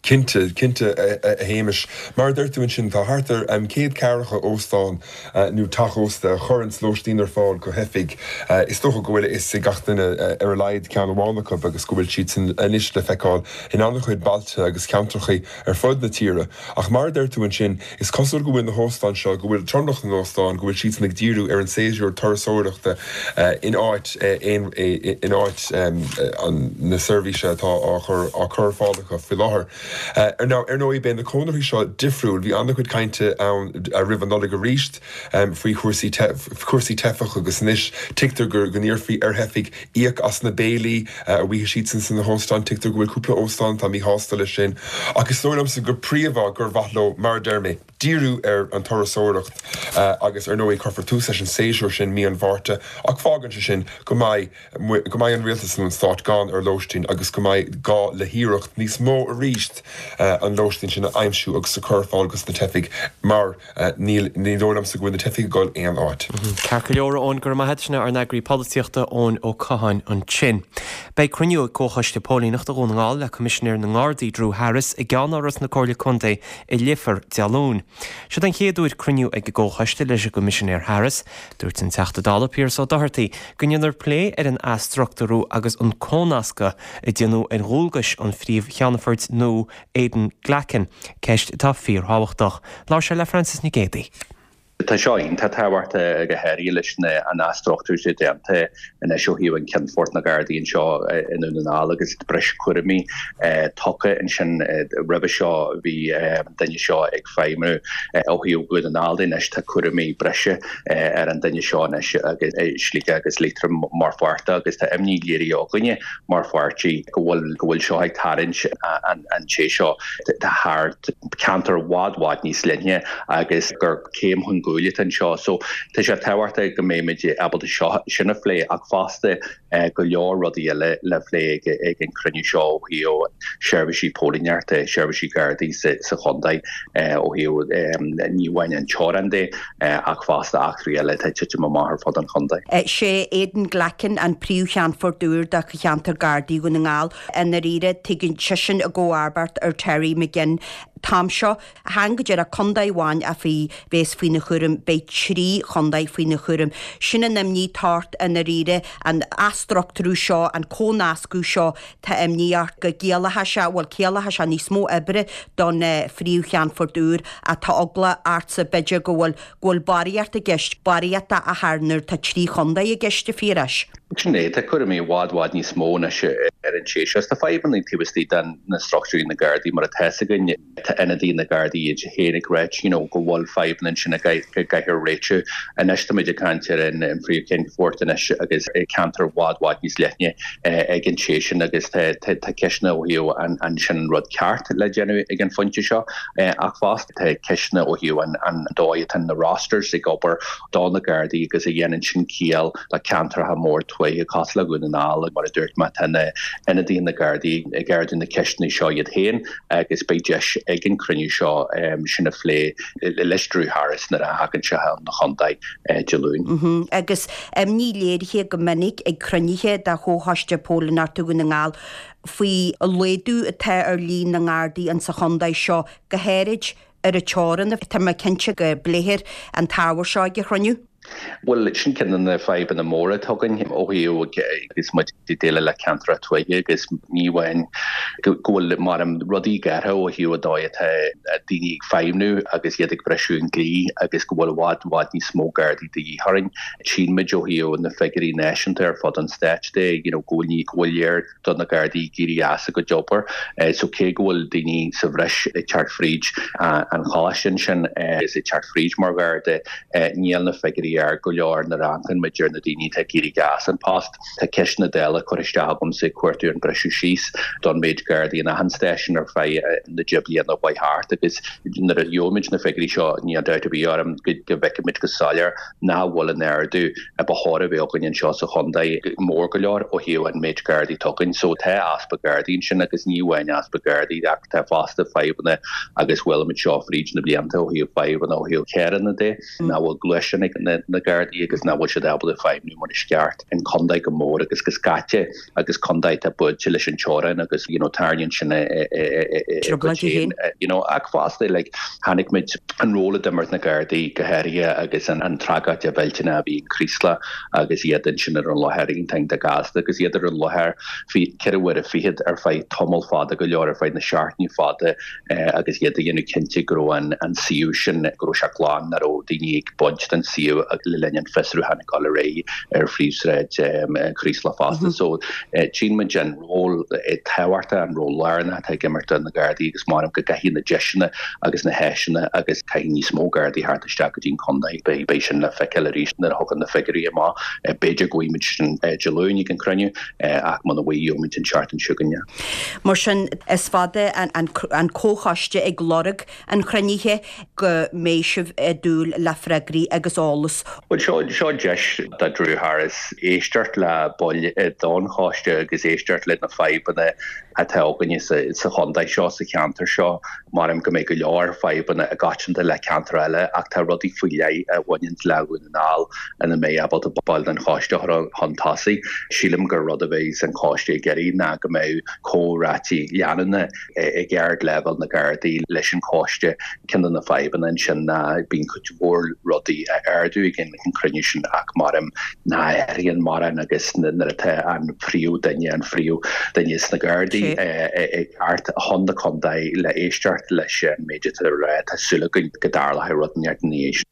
Cinnte, cinnte, a Shéamais. Mar a deir tú ansin, tá thart ar 140 óstán nó teach ósta a chuireanns lóistín ar fáil do theifigh. Is dócha go bhfuil a fhios ag gach duine ar a laghad ceann amháin acu agus go bhfuil siadsan anois le feiceáil in an-chuid bailte agus ceantracha ar fud na tíre. Ach mar a deir tú ansin, is cosúil go bhfuil na hóstáin seo, go bhfuil tromlach na n-óstán, go bhfuil siadsan ag díriú ar an séasúr turasóireachta in áit in áit na seirbhíse atá á chur á cur ar fáil acu faoi láthair. Now, ar ndóigh, beidh na conarthaí seo difriúil. Bhí an-chuid cainte ann roimh an Nollaig arís faoi chúrsaí cúrsaí teifeach agus anois tuigtear go n-iarrfaí ar theifigh íoc as na béilí a bhfaighidh siadsan sna hóstáin. Tuigtear go bhfuil cúpla óstán atá míshásta leis sin. Ach is dóigh liomsa go príomha gur mhaith leo, mar a deir mé, díriú ar an turasóireacht agus ar ndóigh cuirfear tús leis an séasúr sin mí an Mhárta ach fágann sé sin go mbeidh go mbeidh an rialtas nó an stát gann ar lóistín agus go mbeidh gá le hiarracht níos mó arís an lóistín sin a aimsiú agus a chur ar fáil dos na teifigh mar níl, ní dóigh liomsa go bhfuil na teifigh ag dul aon áit. Ceart go leor, a Eoin, go raibh maith agat. Sin é ár n-eagraí polaitíochta, Eoin Ó Catháin ansin. Beidh cruinniú ag Comhchoiste Póilíneachta Dhún na nGall le Coimisinéir na nGardaí, Drew Harris, i gceannáras na Comhairle Contae i Leifear, Dé Luain. Siod an chéad uair cruinniú ag an gComhchoiste leis an gCoimisinéir Harris. Dúirt an Teachta Dála Pearse Ó Dochartaigh go ndéanfar plé ar an athstruchtúrú agus an cónascadh a déanadh ar dhualgais an Phríomh-Cheannfoirt nua Aidan Glackin, ceist atá fíorthábhachtach. Labhair sé le Frances Nic Géadaigh. Tá seo iontach tábhachtach go háirithe leis an athstruchtúrú atá déanta anois ó thaobh an Ceannfort na Gardaí anseo i nDún na nGall agus breis cúraimí tugtha ansin. Roimhe seo bhí an duine seo ag feidhmiú ó thaobh Dhún na nGall de, anois tá cúraimí breise ar an duine seo anois agus Sligeach agus Liatroim mar pháirt de agus tá imní léirithe againne mar pháirtí go bhfuil go bhfuil seo ag tarraingt an té seo thar ceantar i bhfad bhfad níos leithne agus gur céim chun cúil atá anseo. So tá sé tábhachtach go mbeimid ábalta seo sin a phlé ach fosta go leor rudaí eile le plé ag ag an cruinniú seo ó thaobh seirbhísí póilíneachta, seirbhísí Gardaí sa sa chontae ó thaobh ní amháin an teorainn de ach fosta eachtraí eile atá ag titim amach ar fud an chontae. Sé Aidan Glackin an Príomh-Cheannfort úr do Cheantar Gardaí Dhún na nGall. I ndáiríre, tagann seisean i gcomharbacht ar Terry McGinn an t-am seo. Chan go díreach contae amháin a bheas faoina chúram, beidh 3 chontae faoina chúram. Sin an imní atá ort i ndáiríre, an athstruchtúrú seo, an cónascadh seo, Tá imní ort go gciallóidh sé, bhuel, ciallóidh sé níos mó oibre don phríomh-cheannfort úr ach tá eagla ortsa b'fhéidir go bhfuil, go bhfuil barraíocht i gceist, barraíocht a chur nuair atá 3 chontae i gceist, a Phiarais. Sin é, tá cúraimí i bhfad, bhfad níos mó anois ar an té seo. Tá fadhbanna taobh istigh de na struchtúirí na Gardaí mar atá fhios againn. Tá ionadaithe na Gardaí iad féin ag ráit you know go bhfuil fadhbanna ansin a gcaithfear réitiú. Anois táimid ag caint ar an phríomh-cheannfort anois agus ceantar i bhfad bhfad níos leithne ag an té sin agus tá ceisteanna ó thaobh an sin an rud ceart le déanamh ag an phointe seo ach fosta tá ceisteanna ó thaobh an dóigh atá na rosters ag obair do na Gardaí agus a dhéanann sin ciall le ceantracha mór tuaithe cosúil le Dhún na nGall mar a dúirt mé tá na ionadaithe na Gardaí ag ardú na ceisteanna seo iad féin agus beidh deis ag an cruinniú seo sin a phlé leis Drew Harris nuair a thagann sé chun an chontae Dé Luain. Agus imní léirithe go minic ag cruinnithe de Chomhchoiste Póilíneachta Dhún na nGall faoi laghdú atá ar líon na nGardaí insa chontae seo, go háirid ar an teorainn. Tá mé cinnte go bpléifear an t-ábhar seo ag an chruinniú. Bhuel, sin ceann de na fadhbanna móra atá againn ó thaobh agus muid ag déileáil le ceantracha tuaithe agus ní amháin go bhfuil mar rudaí gearrtha ó thaobh an dóigh atá daoine ag feidhmniú agus iad ag briseadh an dlí agus go bhfuil i bhfad i bhfad níos mó Gardaí de dhíth orainn. Tchíonn muid ó thaobh na figiúirí náisiúnta ar fud an stáit de you know go bhfuil go bhfuil léir do na Gardaí ag éirí as a gcuid obair. So cé go bhfuil daoine sa bhreis ag teacht fríd an choláiste ansin agus ag teacht fríd mar Gharda, níl na figiúirí ard go leor nuair a amharcann muid ar na daoine atá ag éirí as an post. Tá ceist na Dála curtha isteach agamsa ag cuartú an briseadh síos don méid Gardaí in achan stáisiún ar feadh na deich bliana a chuaigh thart agus nuair a gheobhaimid na figiúirí seo níl dabht ar bith orm go bhfeicfimid go soiléir nach bhfuil an ardú a ba chóir a bheith againn anseo sa chontae mór go leor ó thaobh an méid Gardaí atá againn. So tá easpa Gardaí ansin agus ní amháin easpa Gardaí ach tá fosta fadhbanna agus chuala muid seo fríd na blianta ó thaobh fadhbanna ó thaobh carranna de, nach bhfuil gluaisteáin ag na Gardaí agus nach bhfuil siad ábalta feidhmiú mar is ceart. An contae go mór agus go scaite agus contae atá buailte leis an teorainn agus you know tarraingíonn sin a gcuid féin you know ach fosta like chonaic muid an ról a d'imir na Gardaí go háirithe agus an an tragóid mhillteanach a bhí in Creeslough agus iad ansin ar an láthair iontach iontach gasta agus iad ar an láthair 24 uaire ar feadh tamall fada go leor ar feadh na seachtainí fada agus iad ag déanamh cinnte go raibh an an suíomh sin go raibh sé glan nach raibh daoine ag baint den suíomh. le linn an fiosrúcháin ag dul ar aghaidh ar Phríomhshráid Chraoslach fosta. So tchíonn muid an ról tábhachtach, an ról lárnach atá ag imirt na Gardaí agus measaim go gcaithfidh na deiseanna agus na háiseanna agus caithfidh níos mó Gardaí theacht isteach go dtí an contae. Beidh sin le feiceáil arís nuair a thagann na figiúirí amach. B'fhéidir go bhfaighimid sin Dé Luain ag an cruinniú ach muna bhfaighidh gheobhaimid an tseachtain seo chugainn. Mar sin, is fada an comhchoiste ag lorg an chruinnithe go mbeidh sibh ag dúil le freagraí agus eolas. Bhuel, seo, seo deis do Drew Harris éisteacht le baill don choiste agus éisteacht le na fadhbanna atá againne sa, sa chontae seo, sa cheantar seo. Measaim go mbeidh go leor fadhbanna i gcoitianta le ceantair eile ach tá rudaí faoi leith a bhaineann le Dhún na nGall ina mbeidh ábalta baill den choiste a chur chun tosaigh. Sílim gur rud a bheidh an coiste ag iarraidh ná go mbeidh comhráití leanúna ag ardleibhéal na Gardaí leis an choiste. Ceann de na fadhbanna ansin ná bíonn cuid mhór rudaí á ardú ag an cruinniú sin ach measaim nach athraíonn mórán agus nuair atá an phríomh-duine, an phríomh-duine sna Gardaí ag teacht chun na contae le éisteacht leis an méid atá á rá, tá súil againn go dtarlóidh rud inteacht ina dhiaidh sin.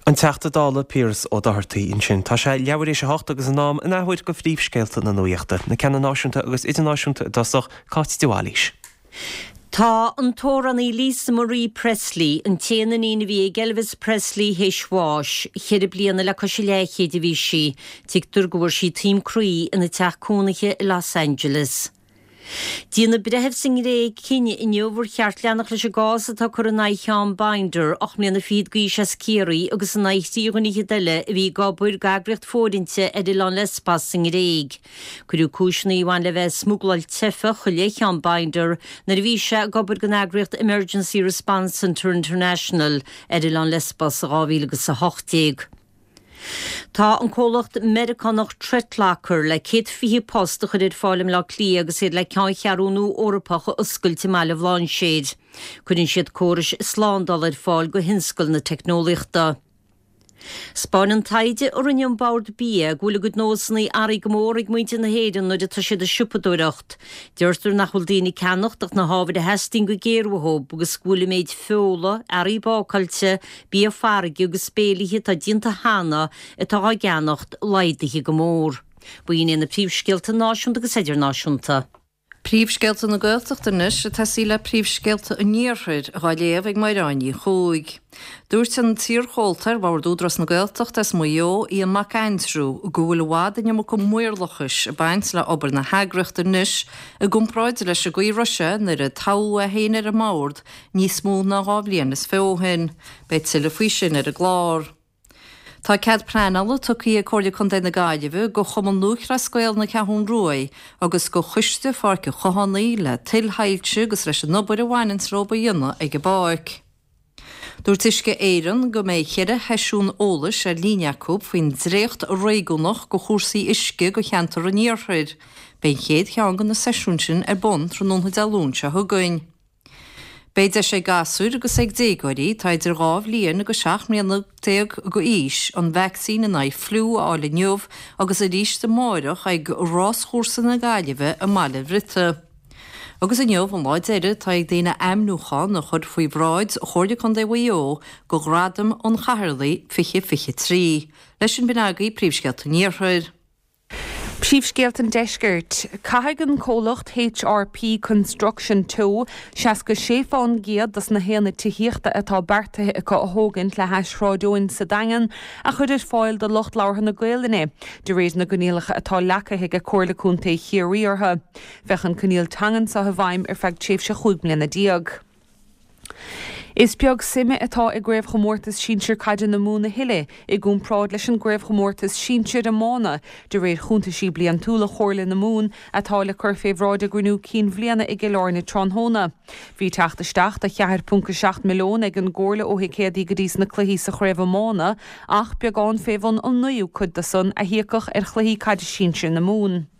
An Teachta Dála Piaras Ó Dochartaigh ansin. Tá sé leathuair théis a hocht agus in am an athuair do phríomhscéalta na nuachta, na ceanna náisiúnta agus idirnáisiúnta i dtosach, Cáit de Bhailís. Tá an t-amhránaí Lisa Marie Presley, an t-aon iníon a bhí ag Elvis Presley, théis bháis. Cheithre bliana le cois a leathchéid a bhí sí. Tuigtear go bhfuair sí taom croí ina teach cónaithe i Los Angeles. Déanfaidh breitheamh sa nGréig cinneadh inniu ar cheart leanacht leis an gcás atá curtha in aghaidh Sheán Binder, 8 mbliana fichead d'aois as Ciarraí agus in aghaidh thrí dhuine fhichead eile a bhí ag obair d'eagraíocht fóirithinte ar oileán Lesbos sa nGréig. Cuireadh cúiseanna a bhain le bheith ag smugláil teifeach i leith Sheán Binder nuair a bhí sé ag obair don eagraíocht Emergency Response Centre International ar oileán Lesbos i 2018. Tá an comhlacht Meiriceánach ThreatLocker le 120 post a chur ar fáil i mBleá Cliath agus iad le ceanncheathrú nua Eorpach a oscailt i mBaile Bhlainséir. Cuireann siad córais slándála ar fáil do thionscal na teicneolaíochta. 'Spáineann taighde a rinne an Bord Bia go bhfuil a gcuid nósanna athraithe go mór ag muintir na hÉireann nuair atá siad ag siopadóireacht. Deirtear nach bhfuil daoine ag ceannacht ach na hábhair a theastaíonn go géar uathu agus go bhfuil an méid feola, earraí bácáilte, bia farraige agus béilithe atá déanta cheana atá á gceannacht laghdaithe go mór. B'in iad na príomhscéalta náisiúnta agus idirnáisiúnta. Príomhscéalta na Gaeltachta anois ag tosaí le príomhscéalta an Iarthair, dhá léamh ag Mairéad Ní Chuaig. Dúirt an t-iarchomhalta ar Bhord Údarás na Gaeltachta as Maigh Eo, Ian Mac Aindriú, go bhfuil i bhfad an iomarca maorlachais ag baint le obair na heagraíochta anois i gcomparáid leis an gcaoi a raibh sé nuair a toghadh é féin ar an mbord níos mó ná 2 bhliain is fiche ó shin. Beidh tuilleadh faoi sin ar an gclár. Tá cead pleanála tugtha ag Comhairle Contae na Gaillimhe go Chumann Lúthchleas Gael na Ceathrún Ruaidh agus go Choiste Pháirc an Chathánaigh le tuilthailte agus leis an obair a bhaineanns leo a dhéanamh ag an bpáirc. Dúirt Uisce Éireann go mbeidh cheithre sheisiún eolais ar líne acu faoin dréacht réigiúnach go chúrsaí uisce go cheantar an iarthair. Beidh an chéad cheann de na seisiúin sin ar bun tráthnóna Dé Luain seo chugainn. Beidh deis ag gasúir agus ag déagóirí atá idir 2 bhliain agus 17 mbliana d'aois an vacsaín in aghaidh fliú a fháil inniu agus arís amáireach ag Ráschúrsa na Gaillimhe i mBaile an Bhriotaigh. Agus inniu an lá deiridh atá ag daoine ainmniúchán a chur faoi bhráid Chomhairle Contae Mhaigh Eo go Ghradam an Chathaoirligh 2023. Leis sin b'in agaibh Príomhscéalta an Iarthair. Príomhscéalta an Deiscirt. Caithfidh an comhlacht HRP Construction Teo 66 fán gcéad dos na haonaid tithíochta atá beartaithe acu a thógaint le hais Shráid Eoin sa Daingean a chur ar fáil do lucht labhartha na Gaelainne, de réir na gcoinníollacha atá leagtha ag Comhairle Contae Chiarraí orthu. Bheadh an coinníoll teangan seo i bhfeidhm ar feadh tréimhse 15 mbliana. Is beag suime atá i gCraobhchomórtas Sinsir Caide na Mumhan a thuilleadh i gcomparáid leis an gCraobhchomórtas Sinsir Iomána, de réir chuntaisí bliantúla Chomhairle na Mumhan atá le cur fé bhráid a gcruinniú cinn bhliana i gCill Airne tráthnóna. Bhí teacht isteach de 4.7 milliún ag an gComhairle ó thicéadaí go dtí sna cluichí sa chraobh iomána ach beagán fé bhun an naoú cuid de san a híocadh ar chluichí caide sinsir na Mumhan.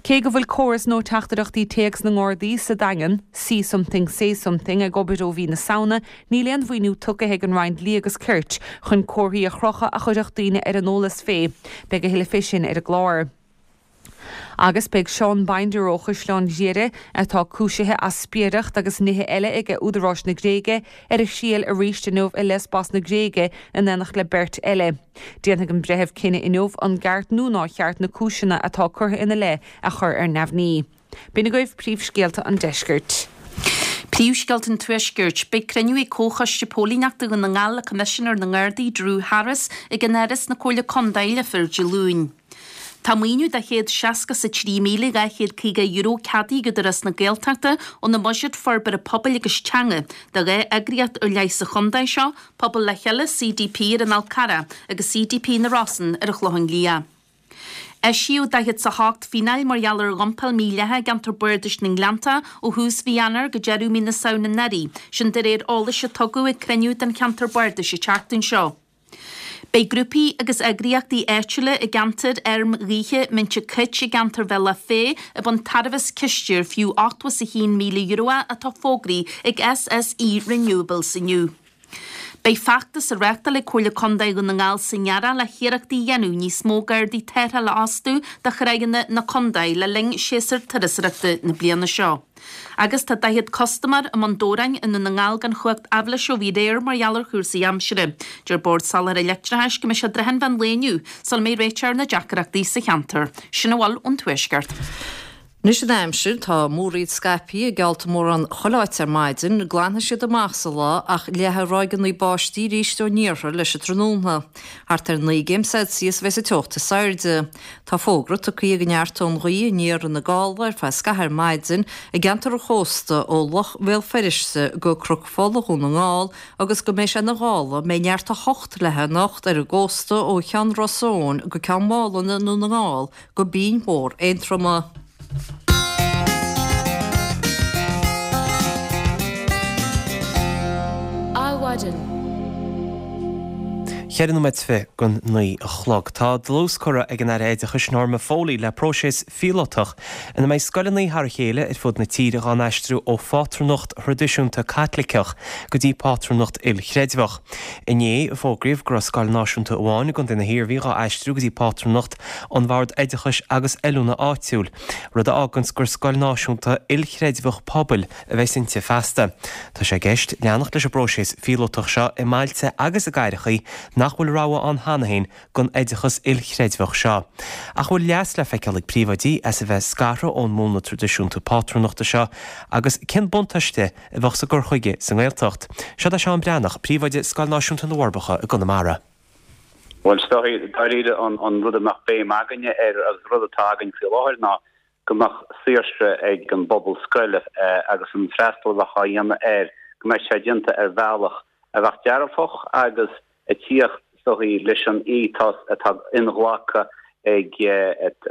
Cé go bhfuil córas nua teachtaireachtaí téacs na nGardaí sa Daingean, See Something Say Something, ag obair ó mhí na Samhna, níl aon mhaoiniú tugtha ag an Roinn Dlí agus Cirt chun comharthaí a chrochadh a chuirfeadh daoine ar an eolas fé. Beidh a thuilleadh fé sin ar an gclár. Agus beidh Seán Binder ó Chaisleán Ghriaire, atá cúisithe as spiaireacht agus nithe eile ag údaráis na Gréige, ar a thriail arís inniu i Lesbos na Gréige in éineacht le beirt eile. Déanfaidh an breitheamh cinneadh inniu an gceart nó nár cheart na cúiseanna atá curtha ina leith a chur ar neamhní. B'in agaibh príomhscéalta an deiscirt. Príomhscéalta an Tuaiscirt. Beidh cruinniú ag Comhchoiste Póilíneachta Dhún na nGall le Coimisinéir na nGardaí Drew Harris ag an Áras na Comhairle Contae Leifear Dé Luain. Tá maoiniú de €163,250 ceadaithe ag Údarás na Gaeltachta óna mbuiséad forbartha pobail agus teanga do dhá eagraíocht ar leith sa chontae seo, Pobal le Chéile, CDP, ar an Fhál Carrach agus CDP na Rosann ar an Chlochán Liath. Eisíodh 48 fíneáil mar gheall ar dhumpáil mhídhleathach i gceantar Bardais na nGleannta ó thús mhí Eanáir go deireadh mí na Samhna anuraidh, sin de réir eolais a tugadh ag cruinniú den cheantar bardais an tseachtain seo. Beidh grúpaí agus eagraíochtaí áitiúla i gceantar fheirm ghaoithe Mhinnte Cait i gceantar Bhealach Féich ag baint tairbhe as ciste ar fiú €81,000 é atá fógraithe ag SSE Renewables inniu. Beidh feachtas á reáchtáil ag Comhairle Contae Dhún na nGall san earrach le hiarrachtaí a dhéanamh níos mó Gardaí tarrthála a fhostú do thráigheanna na contae le linn séasúr turasóireachta na bliana seo. Agus tá 40 custaiméir i mBun Dobhráin i nDún na nGall gan chumhacht aibhléise ó bhí aréir mar gheall ar chúrsaí aimsire. Deir Bord Soláthair Leictreachais go mbeidh sé i dtrátha an mheán lae inniu sula mbeidh réiteach ar na deacrachtaí sa cheantar. Sin a bhfuil ón Tuaisceart. Anois an aimsir, tá múraíl scaipthe ag geallta mórán chuile áit ar maidin, glanfaidh siad amach sa lá ach leathfaidh ráigeanna báistí arís ón iarthar leis an tráthnóna. Thart ar 9 gcéim Celsius a bheas an teocht is airde. Tá fógra tugtha go neartóidh an ghaoth aniar ar na gála ar feadh scaithimh ar maidin i gceantar an chósta ó Loch Bhéal Feirste go Cnoc Fola Dhún na nGall agus go mbeidh sé ina ghála a mbeidh neart 8 léi anocht ar an gcósta ó Cheann Ros Eoghain go Ceann Mhálanna i nDún na nGall go Binn Mhór Aontroma. Adhmhaidin. Cheithre nóiméad is fiche don naoi a chlog. Tá dlús curtha ag an Aire Oideachais Norma Foley le próiseas phíolótach ina mbeidh scoileanna thar a chéile ar fud na tíre dhá n-aistriú ó phátrúnacht thraidisiúnta Caitliceach go dtí pátrúnacht ilchreidmheach. Inné, fógraíodh go raibh scoil náisiúnta amháin i gContae na hIarmhí dhá aistriú go dtí pátrúnacht an Bhord Oideachais agus Oiliúna áitiúil, rud a fháganns gur scoil náisiúnta ilchreidmheach pobail a bheas inti feasta. Tá sé i gceist leanacht leis an bpróiseas phíolótach seo i mbailte agus i gcathrachaí nach bhfuil rogha ann cheana féin den oideachas ilchreidmheach seo. Ach an bhfuil leas le feiceáil ag príomhoidí as a bheith scartha ón múnla traidisiúnta pátrúnachta seo agus cén buntáiste a bheadh sa gcur chuige sa nGaeltacht? Seo é Seán Breathnach, príomhoide Scoil Náisiúnta na bhForbacha i gConamara. Bhuel, is dóichí, dáiríre, an rud a mbeadh béim againne air agus rud atá againn faoi láthair ná go mbeadh saoirse ag an bpobal scoile agus an freastal a bheadh á dhéanamh air, go mbeadh sé déanta ar bhealach a bheadh dearfach agus ag tíocht, is dóichí, leis an ethos atá inghlactha ag,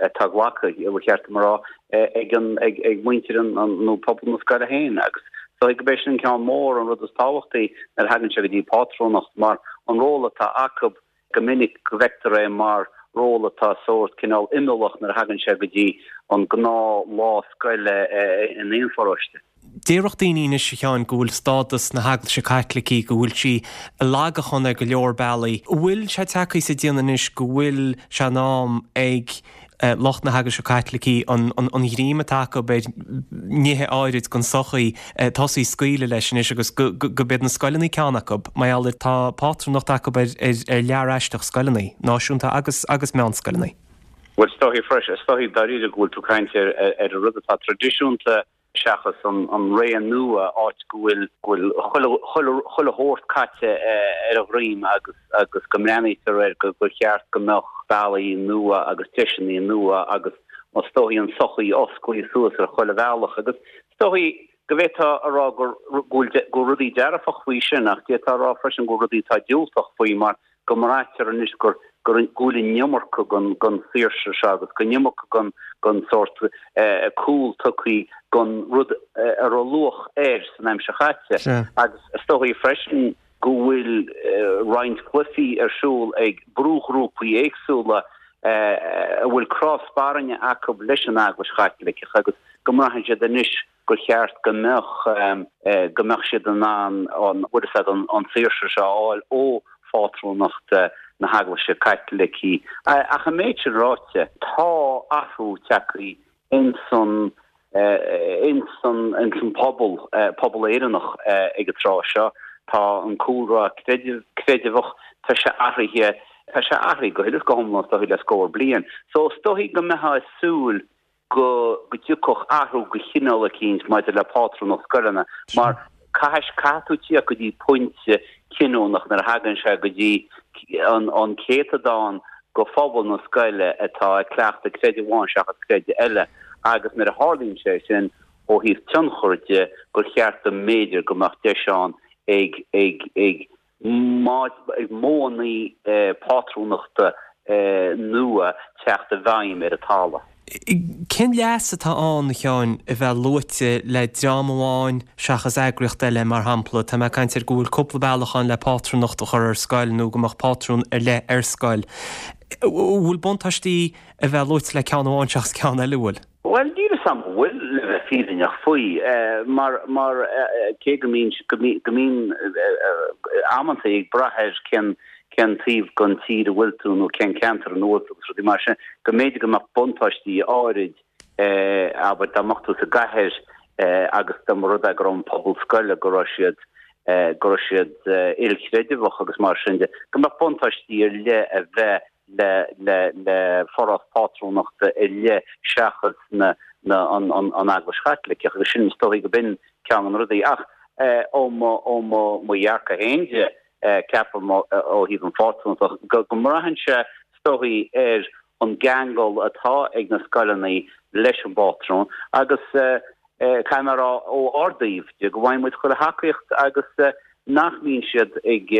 atá glactha, ba cheart dom a rá, ag an, ag muintir an, nó pobal na scoile féin. Agus is dóichí gurb é sin an ceann mór, an rud is tábhachtaí nuair a thagann sé go dtí pátrúnacht, mar an ról atá acu go minic go bhfeictear é mar ról atá sórt cineál imeallach nuair a thagann sé go dtí an gnáth lá scoile in aon pharóiste. Déarfadh daoine anois, a Sheáin, go bhfuil stádas na hEaglaise Caitlicí, go bhfuil sí i lagachan ar go leor bealaí. An bhfuil sé tagtha sa déanamh anois go bhfuil sé in am ag lucht na hEaglaise Caitlicí an ghreim atá acu ar nithe áirid den sochaí tosaí ag scaoileadh leis anois agus go gurb iad na scoileanna ceann acu, mar gheall ar tá pátrúnacht acu ar lear aisteach scoileanna, náisiúnta agus agus meánscoileanna. Bhuel, is dóichí freisin, is dóichí dáiríre go bhfuil tú ag caint ar ar an rud atá traidisiúnta seachas an ré nua, áit go bhfuil go bhfuil chuile chuile chuile shórt caite ar a dhroim agus agus go mbreathnaítear air go gur cheart go mbeadh bealaí nua agus deiseanna nua agus is dóichí an sochaí osclaithe suas ar chuile bhealach agus is dóichí go bhféadfá a rá gur go bhfuil go bhfuil rudaí dearfach faoi sin ach d'fhéadfá a rá freisin go bhfuil rudaí atá diúltach faoi mar go mbraitear anois gur go bhfuil an iomarca den saoirse seo agus go an iomarca den den sórt cúl tugtha don rud a raibh luach air san aimsir chaite. Agus is dóichí freisin go bhfuil roinnt cluichí ar siúl ag brúghrúpaí éagsúla a bhfuil cros barainne acu leis an Eaglais Chaitliceach agus go mbraitheann siad anois gur cheart go mbeadh go mbeadh siad in ann an bhfuil a fhios agat an saoirse seo a fháil ó phátrúnacht. na hEaglaise Caitlicí. Ach an méid sin ráite, tá athrú tagtha ins an ins an ins an pobal, pobal Éireannach ag an tráth seo. Tá an cúlra creidimh, creideamhach, tá sé athraithe, tá sé athraithe go huile is go hiomlán is dóichí le scór bliain. So is dóichí go mbeifeá ag súil go go dtiocfadh athrú de chineál eicínt maidir le pátrúnacht scoileanna mar caithfidh, caithfidh tú tíocht go dtí pointe cinniúnach nuair a thagann sé go dtí an an céatadán de phobal na scoile atá ag cleachtadh creideamh amháin seachas creideamh eile agus nuair a tharlaíonn sé sin ó thaobh tionchar de gur cheart go mb'fhéidir go mbeadh deis ann ag ag ag ag modhanna pátrúnachta nua teacht i bhfeidhm ar an talamh. Cén leas atá ann, a Sheáin, a bheith luaite le dream amháin seachas eagraíocht eile, mar shampla, tá mé ag caint ar go bhfuil cúpla bealach ann le pátrúnacht a chur ar scoil nó go mbeadh pátrún ar leith ar scoil. Bhfuil buntáistí a bheith luaite le ceann amháin seachas ceann eile, bhfuil? Bhuel, níl 'fhios a'm an bhfuil, le bheith fírinneach faoi, mar, mar, cé go mbíonn, go mbíonn, go mbíonn amantaí ag brath ar cén, cén taobh den tír a bhfuil tú nó cén ceantar ina bhfuil tú agus rudaí mar sin, go mb'fhéidir go mbeadh buntáistí áirid, abair, dá mbeadh tú sa gcathair agus dá mba rud é go raibh an pobal scoile, go raibh siad, go raibh siad ilchreideamhach agus mar sin de, go mbeadh buntáistí ar leith a bheith le, le, le forás pátrúnachta ar leith seachas na, na, an, an, an Eaglais Chaitliceach agus sin is dóichí go b'in ceann de na rudaí. Ach ó mo, ó mo, mo dhearcadh féin de, ceapaim, ó thaobh an phátrúnacht, go mbraitheann sé, is dóichí, ar an gceangal atá ag na scoileanna leis an bpátrún agus caithfidh mé a rá ó ár dtaobh de go bhfaigheann muid chuile thacaíocht agus nach mbíonn siad ag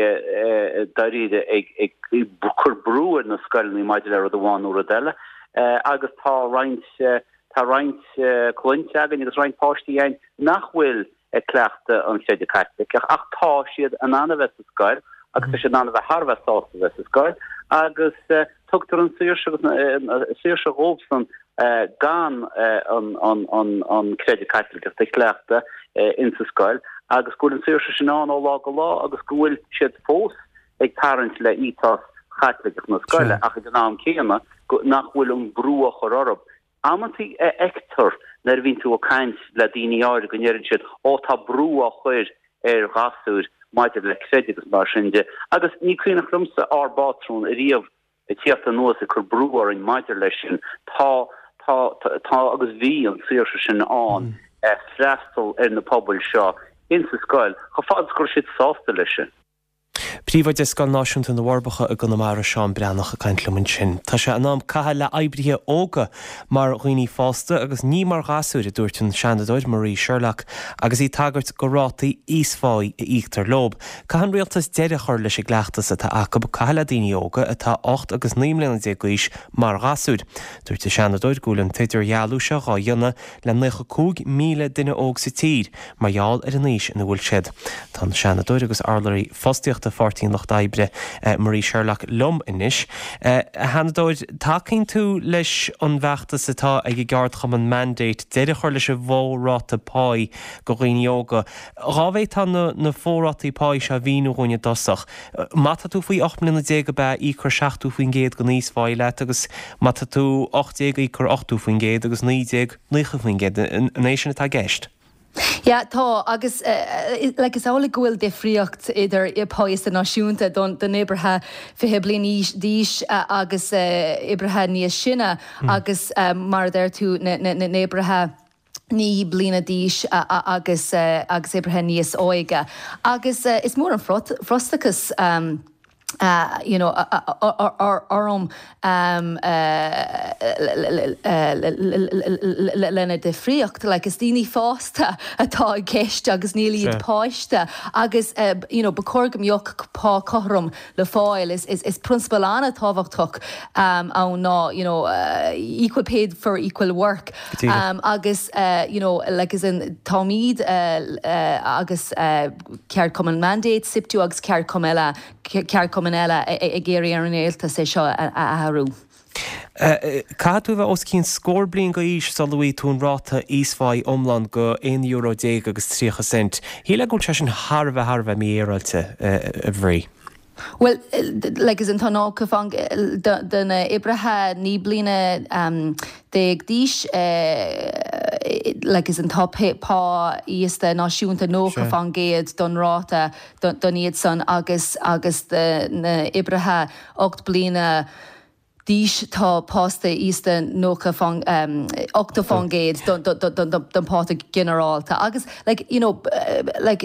dáiríre ag cur brú ar na scoileanna maidir le rud amháin nó rud eile agus tá roinnt tá roinnt cliaint againn agus roinnt páistí againn nach bhfuil ag cleachtadh an chreidimh Chaitliceach ach tá siad in ann a bheith sa scoil agus tá siad in ann a bheith thar a bheith sásta a bheith sa scoil agus tugtar an saoirse agus saoirse dhóibhsan gan an creideamh Caitliceach a chleachtadh insa scoil agus go bhfuil an saoirse sin ann ó lá go lá agus go bhfuil siad fós ag tarraingt le ethos Chaitliceach na scoile ach ag an am céanna nach bhfuil an brú á chur orthu Amantaí a fheictear nuair a bhíonn tú ag caint le daoine áirid go ndeireann siad 'Ó tá brú á chur ar ghasúir maidir le creideamh agus mar sin de' agus ní cuimhneach liomsa ár bpátrún ariamh ag tíocht anuas ag cur brú orainn maidir leis sin. Tá, tá, tá agus bhí an saoirse sin ann freastal ar na pobail seo insa scoil chomh fada is go raibh siad sásta leis sin. Príomhoide Scoil Náisiúnta na bhForbacha i gConamara, Seán Breathnach ag caint liom ansin. Tá sé in am caitheamh le oibrithe óga mar dhaoine fásta agus ní mar ghasúir, a dúirt an Seanadóir Marie Sherlock agus í ag tagairt go rátaí íospháí a íoctar leo. Caithfidh an rialtas deireadh a chur leis an gcleachtas atá acu caitheamh le daoine óga atá 18 agus 19 mbliana d'aois mar ghasúir. Dúirt an Seanadóir go bhfuil an t-idirdhealú seo dhá dhéanamh le 95,000 duine óg sa tír mar gheall ar an aois ina bhfuil siad. Tá an Seanadóir agus urlabhraí fostaíochta Pháirtí an Lucht Oibre, Marie Sherlock liom anois. A Sheanadóir, tacaíonn tú leis an bhfeachtas atá ag an gceardchumann Mandate deireadh a chur leis an bhfo-ráta páí go dhaoine óga. Dhá bhféadfá na fo-rátaí páí seo a mhíniú dhúinn i dtosach. Má tá tú faoi 18 mbliana ab ea, íocfar 70% den íospháí leat agus má tá tú 18 íocfar 80% agus 19, 90%. An é sin atá i gceist? Yeah, tá, agus like is amhlaidh go bhfuil difríocht idir pá íosta náisiúnta don don oibrithe 20 bliain d'aois agus oibrithe níos sine agus mar a deir tú na na na n-oibrithe 9 bliana d'aois agus agus oibrithe níos óige. Agus is mór an frustrachas you know orm lena difríocht. Like is daoine fásta atá i gceist agus níl iad páiste agus you know ba chóir go mbeadh pá cothrom le fáil. Is prionsabal an-tábhachtach ann ná you know equal pay for equal work agus you know like as in táimid agus ceardchumann Mandate, SIPTU agus ceardchumann eile ceardchumainn eile ag iarraidh ar an rialtas é seo a athrú. Caithfidh tú a bheith os cionn scór bliain d'aois sula bhfaighidh tú an ráta íospháí iomlán de aon euro déag agus 30 cent. Shílfeá go bhfuil sé sin thar a bheith, thar a bheith mífhéaráilte, a Mharie. Bhuel, like as in tá 90% de na oibrithe 19 bliana d'aois, like as in tá pá íosta náisiúnta 90% don ráta don iad san agus agus do na oibrithe 8 bliana d'aois tá pá íosta 90 80% don pá ginearálta agus like you know like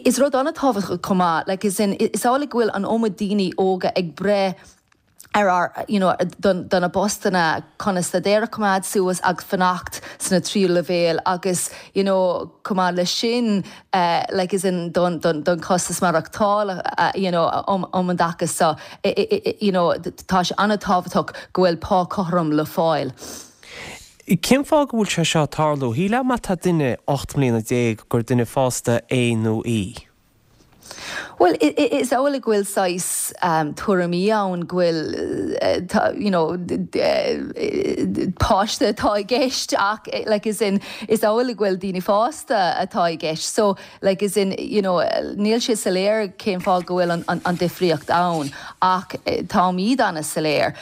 is rud an-tábhachtach chomh maith like is in is amhlaidh go bhfuil an iomad daoine óga ag breith ar ár you know do na postanna chun a staidéar a choimeád suas agus fanacht sna tríú leibhéal agus you know chomh maith leis sin like as in don don costas maireachtála you know um um an dtaca so you know tá sé an-tábhachtach go bhfuil pá cothrom le fáil. Cén fáth go bhfuil sé seo ag tarlú? Shílfeá má tá duine 18 mbliana gur duine fásta é nó í. Bhuel, is amhlaidh go bhfuil saghas tuairimí ann go bhfuil you know páiste atá i gceist ach like as in is amhlaidh go bhfuil daoine fásta atá i gceist so like as in you know níl sé soiléir cén fáth go bhfuil an difríocht ann ach táimid an-soiléir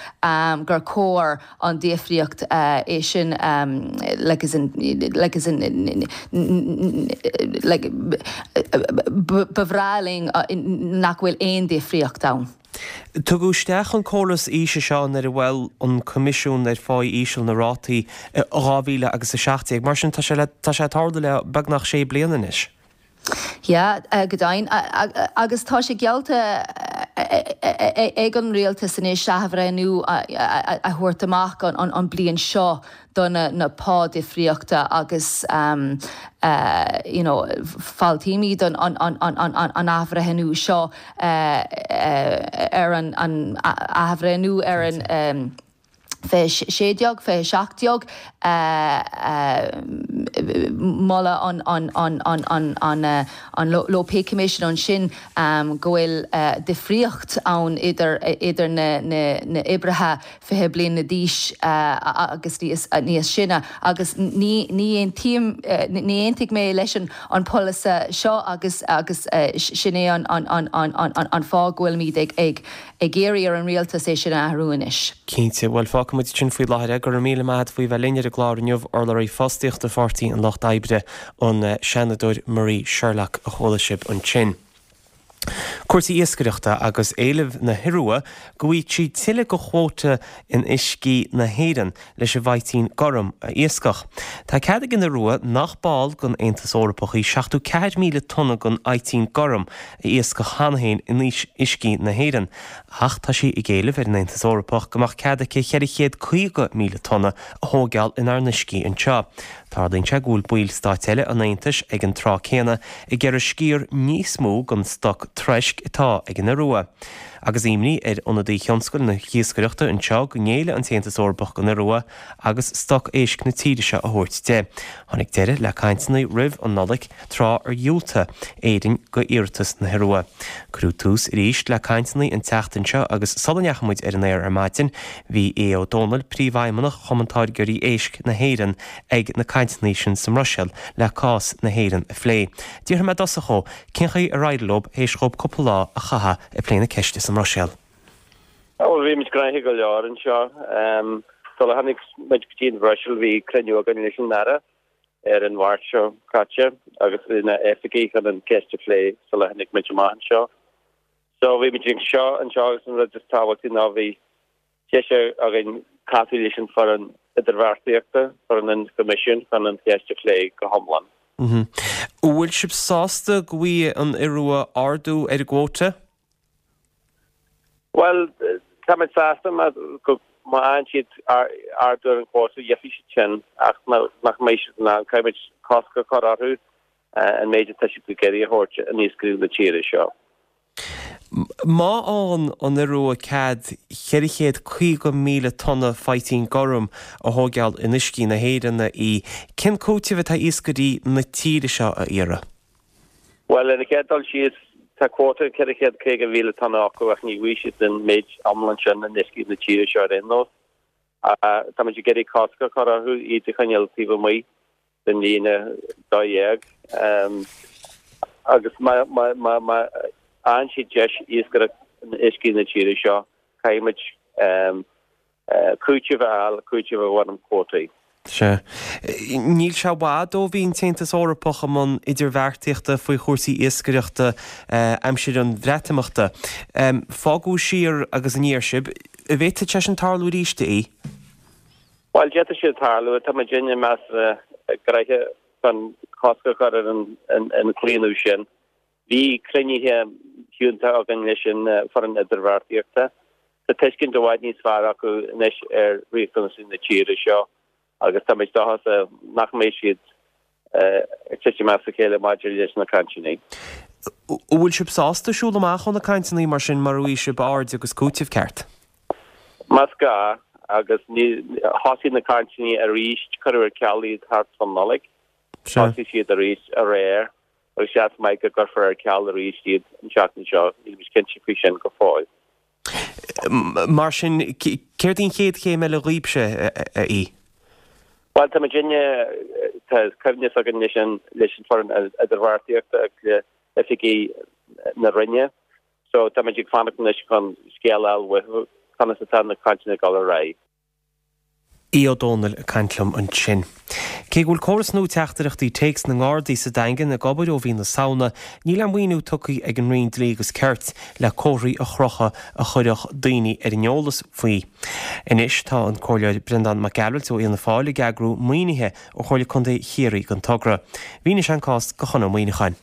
gur chóir an difríocht é sin like as in like as in like ba bhreá linn nach bhfuil aon difríocht ann. Tugadh isteach an córas aoise seo nuair a mhol an Coimisiún ar Phá Íseal na rátaí i 2017. Mar sin tá sé tá sé ag tarlú le beagnach sé bliana anois. Yeah, go deimhin. Agus tá sé geallta ag an rialtas anois athbhreithniú a thabhairt amach an bliain seo do na pá difríochta agus you know fáiltímid an athbhreithniú seo ar an athbhreithniú ar an 2016, 2017, moladh an Low Pay Commission ansin go bhfuil difríocht ann idir na oibrithe 20 bliana d'aois agus níos sine agus ní aontaím, ní aontaigh mé leis an polasaí seo agus sin é an fáth go bhfuilimid ag ag iarraidh ar an rialtas é sin a athrú anois. Cinnte. Bhuel, fágfaidh muid sin faoi láthair é. Go raibh míle maith a't faoi bheith linn ar an gclár inniu, urlabhraí fostaíochta Pháirtí an Lucht Oibre, an Seanadóir Marie Sherlock a chuala sibh ansin. Cúrsaí iascaireachta agus éileamh na hIorua go bhfaighidh sí tuilleadh de chuóta in uiscí na hÉireann leis an bhfaightean gorm a iascach. Tá cead ag an Iorua, nach ball den Aontas Eorpach í, 74,000 tonna den fhaightean gorm a iascach cheana féin in uiscí na hÉireann, ach tá sí ag éileamh ar an Aontas Eorpach go mbeadh cead aici 450,000 tonna a thóigeáil inár n-uiscí anseo. Tarlaíonn sé go bhfuil baill stáit eile an Aontais ag an tráth céanna ag iarraidh sciar níos mó den stoc troisc atá ag an Iorua. Agus imní ar ionadaí thionscal na hiascaireachta anseo go ngéillfidh an tAontas Eorpach don Iorua agus stoc éisc na tíre seo a thabhairt di. Tháinig deireadh le cainteanna roimh an Nollaig tráth ar dhiúltaigh Éirinn do iarratas na hIorua. Cuireadh tús arís le cainteanna an tseachtain seo agus sula ndeachaigh muid ar an aer ar maidin bhí Aodh Ó Dónaill, Príomhfheidhmeannach Chumann Táirgeoirí Éisc na hÉireann ag na cainteanna sin sa mBruiséil le cás na hÉireann a phlé. D'fhiafraigh mé i dtosach dhó cén chaoi ar éirigh leo théis dhóibh cúpla lá a chaitheamh ag plé na ceiste sa mBruiséil. Bhuel, bhí muid gnoitheach go leor anseo. Sula tháinig muid go dtí an Bhruiséil bhí cruinniú againn leis an Aire ar an Mháirt seo caite agus lena oifigigh chun an cheist a phlé sula tháinig muid amach anseo. So bhí muid anseo anseo agus an rud is tábhachtaí ná bhí deis againn casadh leis an foireann idirbheartaíochta, foireann an Choimisiúin chun an cheist a phlé go hiomlán. An bhfuil sibh sásta go bhfaighidh an Iorua ardú ar an gcuóta? Bhuel, táimid sásta má go má fhaigheann siad ardú ar an gcuóta, gheobhaidh siad sin ach nach mbeidh siad in ann, caithfidh muid cosc a chur orthu an méid atá siad ag iarraidh a thabhairt in iascairí na tíre seo. Má fhaigheann an Iorua cead 450,000 tonna faightean gorm a thóigeáil in uiscí na hÉireann í, cén cúiteamh atá iascairí na tíre seo a iarraidh? Bhuel, ar an chéad dul síos, tá cuóta 450,000 tonna acu ach ní bhfaighidh siad an méid iomlán sin in uiscí na tíre seo ar aon nós. Táimid ag iarraidh cosc a chur orthu iad a choinneáil taobh amuigh den líne 12. Agus má. Faigheann siad deis iascaireacht in uiscí na tíre seo, caithfidh muid cúiteamh a fháil, cúiteamh i bhfoirm cuótaí. Sea. Níl sé i bhfad ó bhí an tAontas Eorpach i mbun idirbheartaíochta faoi chúrsaí iascaireachta aimsir an Bhreatimeachta. Fágadh siar agus aniar sibh. An bhféadfadh sé sin tarlú arís, a Aoidh? Bhuel, d'fhéadfadh sé tarlú. Tá muidinne measartha gnoitheach chun cosc a chur ar an chlaonadh sin. Bhí cruinnithe fiúntacha againn leis an bhfoireann idirbheartaíochta. Tá tuiscint i bhfad níos fearr acu anois ar riachtanais na tíre seo agus tá muid dóchasach nach mbeidh siad ag titim as a chéile maidir leis na cainteanna. An bhfuil sibh sásta siúl amach ó na cainteanna mar sin mura bhfaighidh sibh aird agus cúiteamh ceart? Más gá, agus thosaigh na cainteanna arís, cuireadh ar ceal iad thart fán Nollaig, thosaigh siad arís aréir. Agus seans maith go gcuirfear ar ceal arís iad an tseachtain seo, nílimid cinnte faoi sin go fóill. Mar sin, céard í an chéad chéim eile dhaoibhse, a Aoidh? Bhuel, tá muidinne, tá coibhneas againn leis an leis an foireann idirbheartaíochta agus le oifigigh na Roinne, so tá muid ag fanacht anois chun scéal a fháil uathu conas atá na cainteanna ag dul ar aghaidh. Aodh Ó Dónaill ag caint liom ansin. Cé go bhfuil córas nua teachtaireachtaí téacs na nGardaí sa Daingean ag obair ó mhí na Samhna, níl aon mhaoiniú tugtha ag an Roinn Dlí agus Cirt le comharthaí a chrochadh a chuirfeadh daoine ar an eolas faoi. Anois tá an Comhairleoir Breandán Mac Gearailt ó Fhianna Fáil ag eagrú maoinithe ó Chomhairle Contae Chiarraí don togra. Mhínigh sé an cás do Chon Ó Muíneacháin.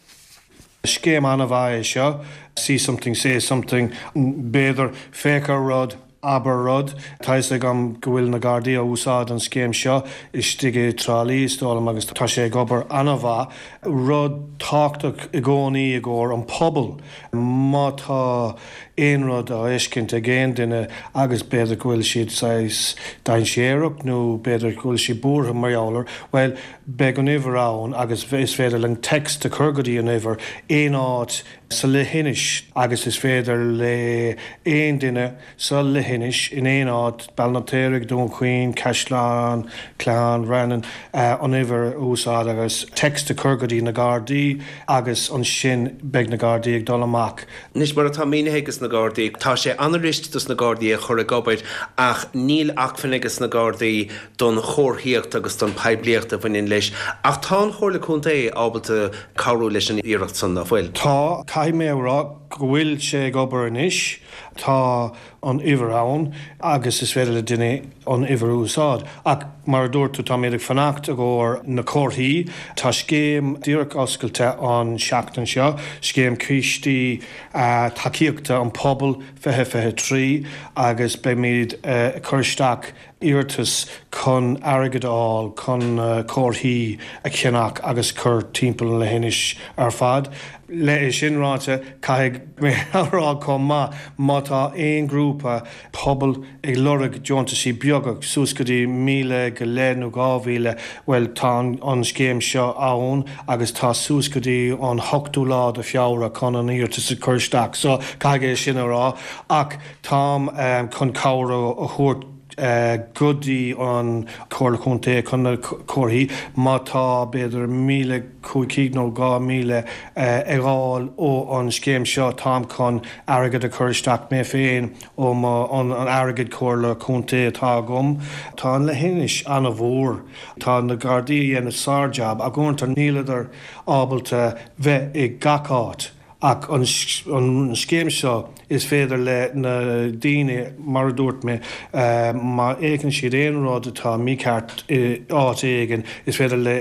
Scéim an-mhaith é seo, see something, say something, b'fhéidir féach ar rud, abair rud. Tá fhios agam go bhfuil na Gardaí á úsáid an scéim seo istigh i dTrá Lí is dóigh liom agus tá sé ag obair an-mhaith. Rud tábhachtach i gcónaí i gcomhair an pobal má tá aon rud á fheiscint ag aon duine agus b'fhéidir go bhfuil siad saghas dainséarach nó b'fhéidir go bhfuil siad buartha mar gheall air, bhuel beidh an uimhir ann agus is féidir linn text a chur go dtí an uimhir aon áit sa leithinis agus is féidir le aon duine sa leithinis in aon áit, Béal an Fheirtéaraigh, Dún Chaoin, Caisleán, Clochán, Bhreathnach, an uimhir a úsáid agus text a chur go dtí na Gardaí agus ansin beidh na Gardaí ag dul amach. Anois, mar atá mínithe ages na Gardaí, tá sé an-fhuirist dos na Gardaí é a chur ag obair ach níl acmhainn ages na Gardaí don chomharthaíocht agus don poiblíocht a bhaineann leis. Ach tá an Chomhairle Contae ábalta cabhrú leis an iarracht san, nach bhfuil? Tá. Caithfidh mé a rá go bhfuil sé ag obair anois. Tá an uimhir ann agus is féidir le duine an uimhir a úsáid. Ach mar a dúirt tú, táimid ag fanacht i gcomhair na comharthaí. Tá scéim díreach oscailte an seachtain seo, scéim cistí tacaíochta an pobal 2023 agus beimid ag cur isteach iarratas chun airgead a fháil chun comharthaí a cheannach agus cur timpeall an leithinis ar fad. Le é sin ráite, caithfidh mé a rá chomh maith, má tá aon ghrúpa pobail ag lorg deontaisí beaga, suas go dtí 1,000 go leith nó 2,000, bhuel tá an scéim seo ann agus tá suas go dtí an 8ú lá de Feabhra chun an iarratas a chur isteach. So, caithfidh é sin a rá. Ach táim chun cabhair a thabhairt go dtí an Chomhairle Contae chun na comharthaí, má tá b'fhéidir 1,500 nó 2,000 ag fháil ó an scéim seo, táim chun airgead a chur isteach mé féin ó mo an airgead Comhairle Contae atá agam. Tá an leithinis an-mhór. Tá na Gardaí a dhéanamh sár-jab ach uaireanta níleadar ábalta bheith i gach áit. Ach an scéim seo, is féidir le na daoine, mar a dúirt mé, má fhéachann siad aon rud atá mícheart i áit éigin, is féidir le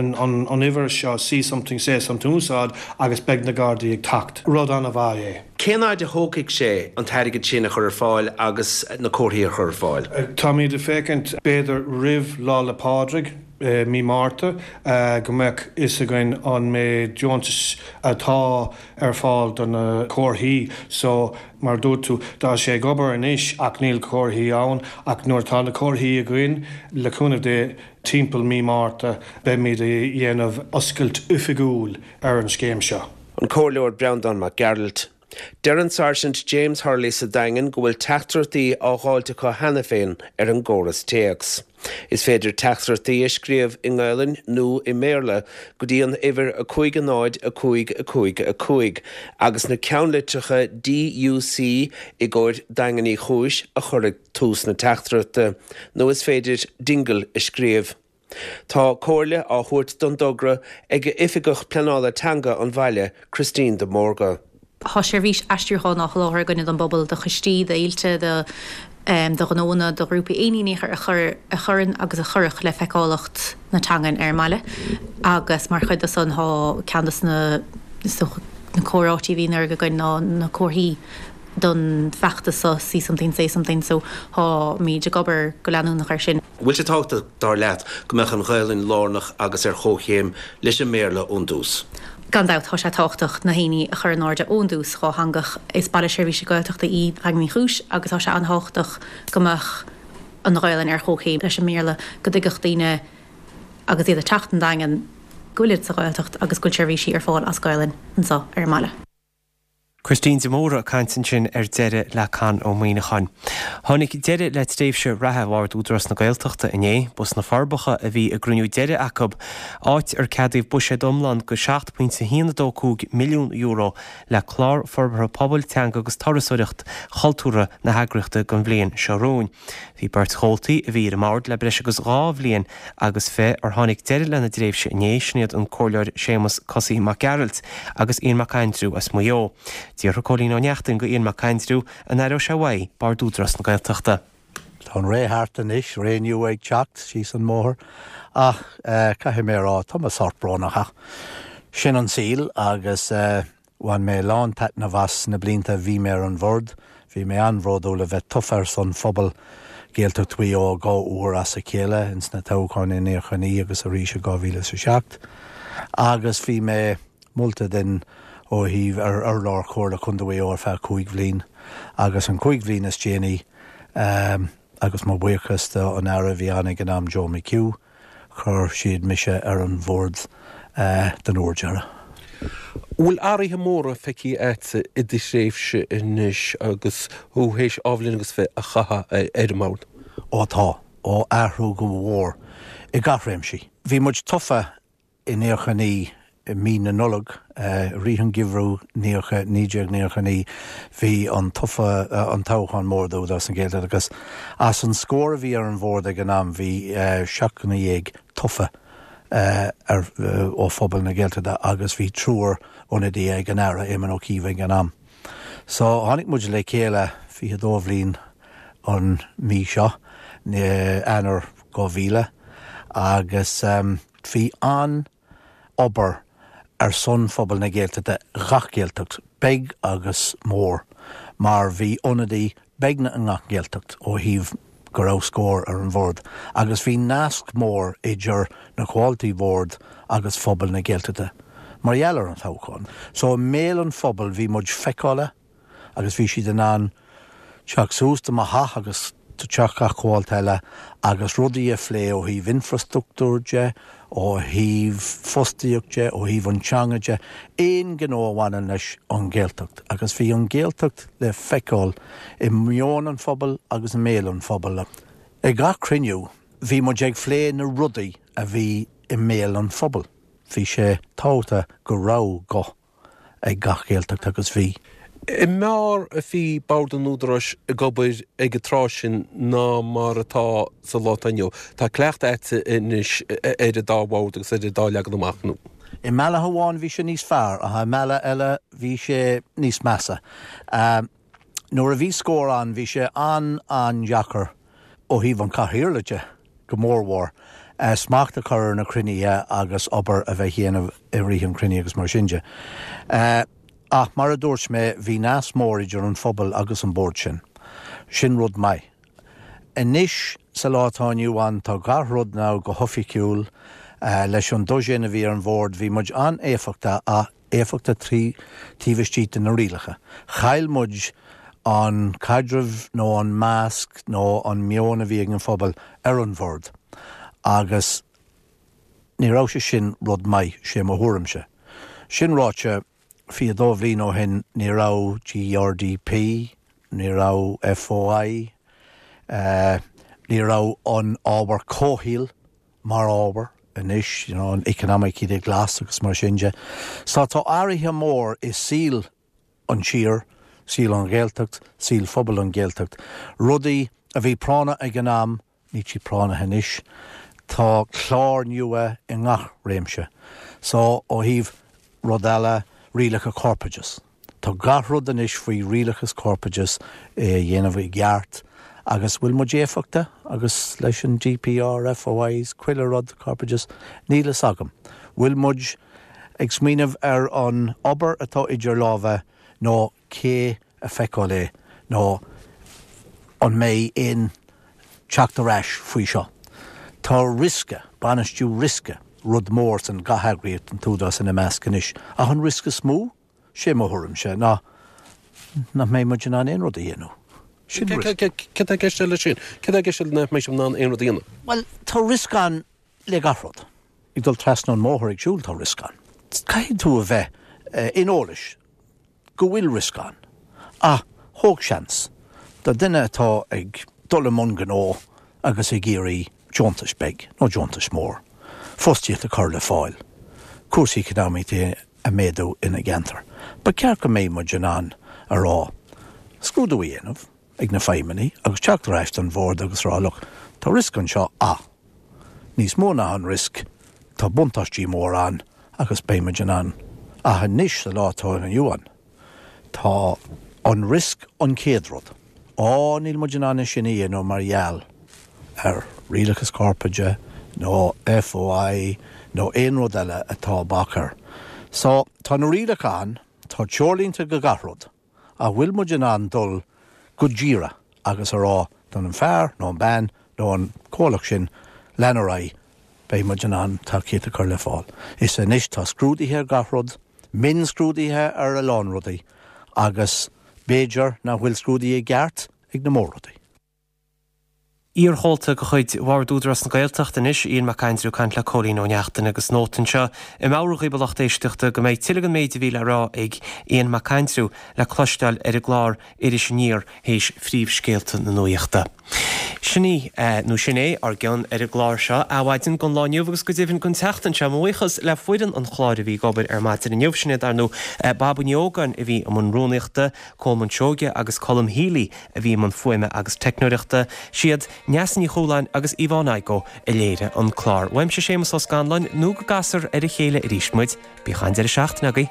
an uimhir seo, see something, say something, úsáid agus beidh na Gardaí ag teacht. Rud an-mhaith é. Cén fhaid a thógfaidh sé an t-airgead sin a chur ar fáil agus na comharthaí a chur ar fáil? Táimid ag féachaint b'fhéidir roimh Lá 'le Pádraig. i mí Márta, go mbeadh fhios againn an méid deontais atá ar fáil do na comharthaí. So, mar a dúirt tú, tá sé ag obair anois ach níl comharthaí ann ach nuair atá na comharthaí againn, le cúnamh Dé, timpeall mí Márta, beimid a dhéanamh oscailt oifigiúil ar an scéim seo. An Comhairleoir Breandán Mac Gearailt. Deir an Sáirsint James Hurley sa Daingean go bhfuil teachtaireachtaí á dháilt acu cheana féin ar an gcóras téacs. Is féidir teachtaireachtaí a scríobh i nGaelainn nó i mBéarla go dtí an uimhir 5 0 5 5 5 agus na ceannlitreacha DUC i gcomhair Daingean Uí Chúis a chur ag tús na teachtaireachta, nó is féidir Dingle a scríobh. Tá comhairle á thabhairt don dtogra ag Oifigeach Pleanála Teanga an bhaile, Christine de Mórdha. Tá seirbhís aistriúcháin á sholáthar againne don bpobal, do choistí, d'fhéilte, do do ghnóanna, do ghrúpaí, aon ní a chuireann agus a chuirfeadh le feiceálacht na teangan ar an mbaile agus mar chuid de san tá ceann de na na comhráití a bhí anuraidh againn ná na comharthaí don bhfeachtas seo See Something Say Something so táimid ag obair go leanúnach air sin. Bhfuil sé tábhachtach, dar leat, go mbeadh an Ghaelainn lárnach agus ar chomhchéim leis an mBéarla ón dtús? Gan dabht, tá sé tábhachtach na haoinní a chur in airde ón dtús, dhátheangach. Is baile seirbhíse Gaeltachta í Daingean Uí Chúis agus tá sé an-tábhachtach go mbeadh an Ghaelainn ar chomhchéim leis an mBéarla, go dtuigfeadh daoine agus iad ag teacht an Daingean go bhfuilid sa Ghaeltacht agus go bhfuil seirbhísí ar fáil as Gaelainn anseo ar an mbaile. Christine de Mórdha ag caint ansin ar deireadh le Con Ó Muíneacháin. Tháinig deireadh le tréimhse reatha Bhord Údarás na Gaeltachta inné. Ba sna Forbacha a bhí a gcruinniú deiridh acu, áit ar ceadaíodh buiséad iomlán de €7.125 milliún le clár forbartha pobail, teanga agus turasóireacht chultúrtha na heagraíochta don bhliain seo romhainn. Bhí beirt chomhaltaí a bhí ar an mbord le breis agus 2 bhliain agus fi ar tháinig deireadh lena dtréimhse inné, sin iad an Comhairleoir Séamus 'Cosaí' Mac Gearailt agus Ian Mac Aindriú as Maigh Eo. D'fhiafraigh Cóilín Ó Neachtain de Ian Mac Aindriú an aireodh sé uaidh Bord Údarás na Gaeltachta. Tá an ré thart anois, ré nua ag teacht síos an mbóthar ach caithfidh mé a rá, tá mé sórt brónach ach sin an saol agus Bhain mé lán taitneamh as na blianta a bhí mé ar an bhord. Bhí mé an-bhródúil a bheith tofa ar son phobal Ghaeltacht Mhaigh Eo 2 uair as a chéile, ins na toghcháin i 99 agus arís i 2007. Agus bhí mé molta den ó thaobh ar urlár Chomhairle Contae Mhaigh Eo ar feadh 5 bhliain. Agus an 5 bhliain is déanaí, agus mo bhuíochas do an Aire a bhí ann ag an am, Joe McHugh, Chuir siad mise ar an bhord den uair deireadh. Bhfuil athruithe móra feicthe agatsa i do thréimhse anois agus thú théis dhá bhliain agus fi a chaitheamh ar an mbord? Ó tá. Ó athrú go mhór i gach réimsí. Bhí muid tofa i 99 I mí na Nollag, i rith an gheimhreadh 1999, bhí an tofa, an toghchán mór d'Údarás na Gaeltachta agus as an scór a bhí ar an bhord ag an am bhí 17 tofa ar, ó phobal na Gaeltachta agus bhí triúr ionadaithe ag an Aire, Éamon Ó Cuív ag an am. So tháinig muid le chéile 22 bhliain an mí seo, Eanáir 2000, agus bhí an. obair ar son phobal na Gaeltachta, gach Gaeltacht, beag agus mór, mar bhí ionadaí beagnach i ngach Gaeltacht ó thaobh go raibh scór ar an bhord agus bhí nasc mór idir na comhaltaí boird agus phobal na Gaeltachta mar gheall ar an toghchán. So i mbéal an phobail bhí muid feiceálach agus bhí siad in ann teacht suas do mo theach agus do teach gach comhalta eile agus rudaí a phlé ó thaobh infreastruchtúr de, ó thaobh fostaíocht de, ó thaobh an teanga de, aon ghnó a bhaineann leis an Ghaeltacht. Agus bhí an Ghaeltacht le feiceáil i meon an phobail agus i mbéal an phobail. Ag gach cruinniú bhí muid ag phlé na rudaí a bhí i mbéal an phobail. Bhí sé tábhachtach go raibh guth ag gach Gaeltacht agus bhí. An mb'fhearr a bhí Bord an Údaráis ag obair ag an tráth sin ná mar atá sa lá atá inniu? Tá cleachtadh agatsa anois ar an dá bhord agus ar an dá leagan amach, nó? I mbealach amháin bhí sé níos fearr ach i mbealach eile bhí sé níos measa. Nuair a bhí scór ann bhí sé an-an-deacair ó thaobh an chathaoirligh de, go mórmhór, smacht a chur ar na cruinnithe agus obair a bheith dhéanamh i rith an chruinnithe agus mar sin de. Ach mar a dúirt mé, bhí nasc mór idir an phobal agus an bord sin. Sin rud maith. Anois, sa lá atá inniu ann, tá gach rud now go hoifigiúil. Leis an dosaen a bhí ar an bhord, bhí muid an-éifeachtach ach éifeachtach taobh istigh de na rialacha. Chaill muid an caidreamh nó an meas nó an meon a bhí ag an phobal ar an bhord agus ní raibh sé sin rud maith, sé mo thuairimse. Sin ráite, 22 bhliain ó shin ní raibh GRDP, ní raibh FOI, ní raibh an ábhar comhshaoil mar ábhar anois, you know, an economic glas agus mar sin de. So tá athruithe mór i saol an tír, saol an Ghaeltacht, saol phobal an Ghaeltacht. Rudaí a bhí práinneach ag an am, Níl siad práinneach anois. Tá clár nua i ngach réimse. So, ó thaobh rud eile, rialacha corpoideachais. Tá gach rud anois faoi rialachas corpoideachais é a dhéanamh i gceart agus bhfuil muid éifeachtach agus leis an GPR, FOIs, chuile rud corpoideachais, níl fhios agam. Bhfuil muid ag smaoineamh ar an obair atá idir lámha nó cé a feiceáil é nó an mbeidh aon teacht ar ais faoi seo. Tá riosca, bainistiú riosca, rud mór san gach eagraíocht, an tÚdarás ina measc anois. Ach an riosca is mó, sé mo thuairimse, ná nach mbeidh muid in ann aon rud a dhéanamh. Sin riosca. Céard tá i gceist leis sin? Céard tá i gceist le nach mbeidh sibh in ann aon rud a dhéanamh? Bhuel, tá riosca ann le gach rud. Ag dul trasna an mbóthar ag siúl tá riosca ann. Caithfidh tú a bheith in eolais go bhfuil riosca ann. Ach thóg seans. Do duine atá ag dul i mbun gnó agus ag iarraidh deontais beag nó deontais mór, fostaíocht a chur le fáil, cúrsaí eacnamaíochta a méadú ina gceantar, ba cheart go mbeidh muid in ann a rá, scrúdú a dhéanamh ag na feidhmeannaigh agus teacht ar ais don bhord agus rá look, tá riosca anseo ach níos mó ná an riosca, tá buntáistí mór ann agus beidh muid in ann. Ach anois sa lá atá inniu ann, tá an riosca an chéad rud. Á, níl muid in ann é sin a dhéanamh mar gheall ar rialachas corpoideachais nó FOI nó aon rud eile atá bac air. So, tá na rialacha ann, tá treoirlínte go gach rud. Ach bhfuil muid in ann dul go díreach agus a rá don an fear nó an bean nó an comhlacht sin lean ar aghaidh, beidh muid in ann tacaíocht a chur le fáil. Is anois tá scrúduithe ar gach rud, mionscrúduithe ar a lán rudaí agus b'fhéidir nach bhfuil scrúduithe i gceart ag na mór-rudaí. Iarchomhalta de chuid Bhord Údarás na Gaeltachta anois, Ian Mac Aindriú ag caint le Cóilín Ó Neachtain agus nóta anseo ag meabhrú dhaoibh a lucht éisteachta go mbeidh tuilleadh den méid a bhí le rá ag Ian Mac Aindriú le cloisteáil ar an gclár Iris Aniar théis phríomhscéalta na nuaíochta. Sin í, nó sin é, ár gcion ar an gclár seo, Adhmhaidin, don lá inniu agus go deimhin don tseachtain seo. Mo bhuíochas le foireann an chláir a bhí ag obair ar maidin inniu, sin iad, dar ndóigh, Baba Ní Ógáin a bhí i mbun rúnaíochta, Colman Seoige agus Colm Healy a bhí i mbun fuaime agus teicneoireachta. Siad Neasa Ní Chualáin agus Yvonne Igoe a léirigh an clár. Uaimse Séamus Ó Scanláin, nó go gcasfar ar a chéile arís muid, bíodh an-deireadh seachtaine agaibh.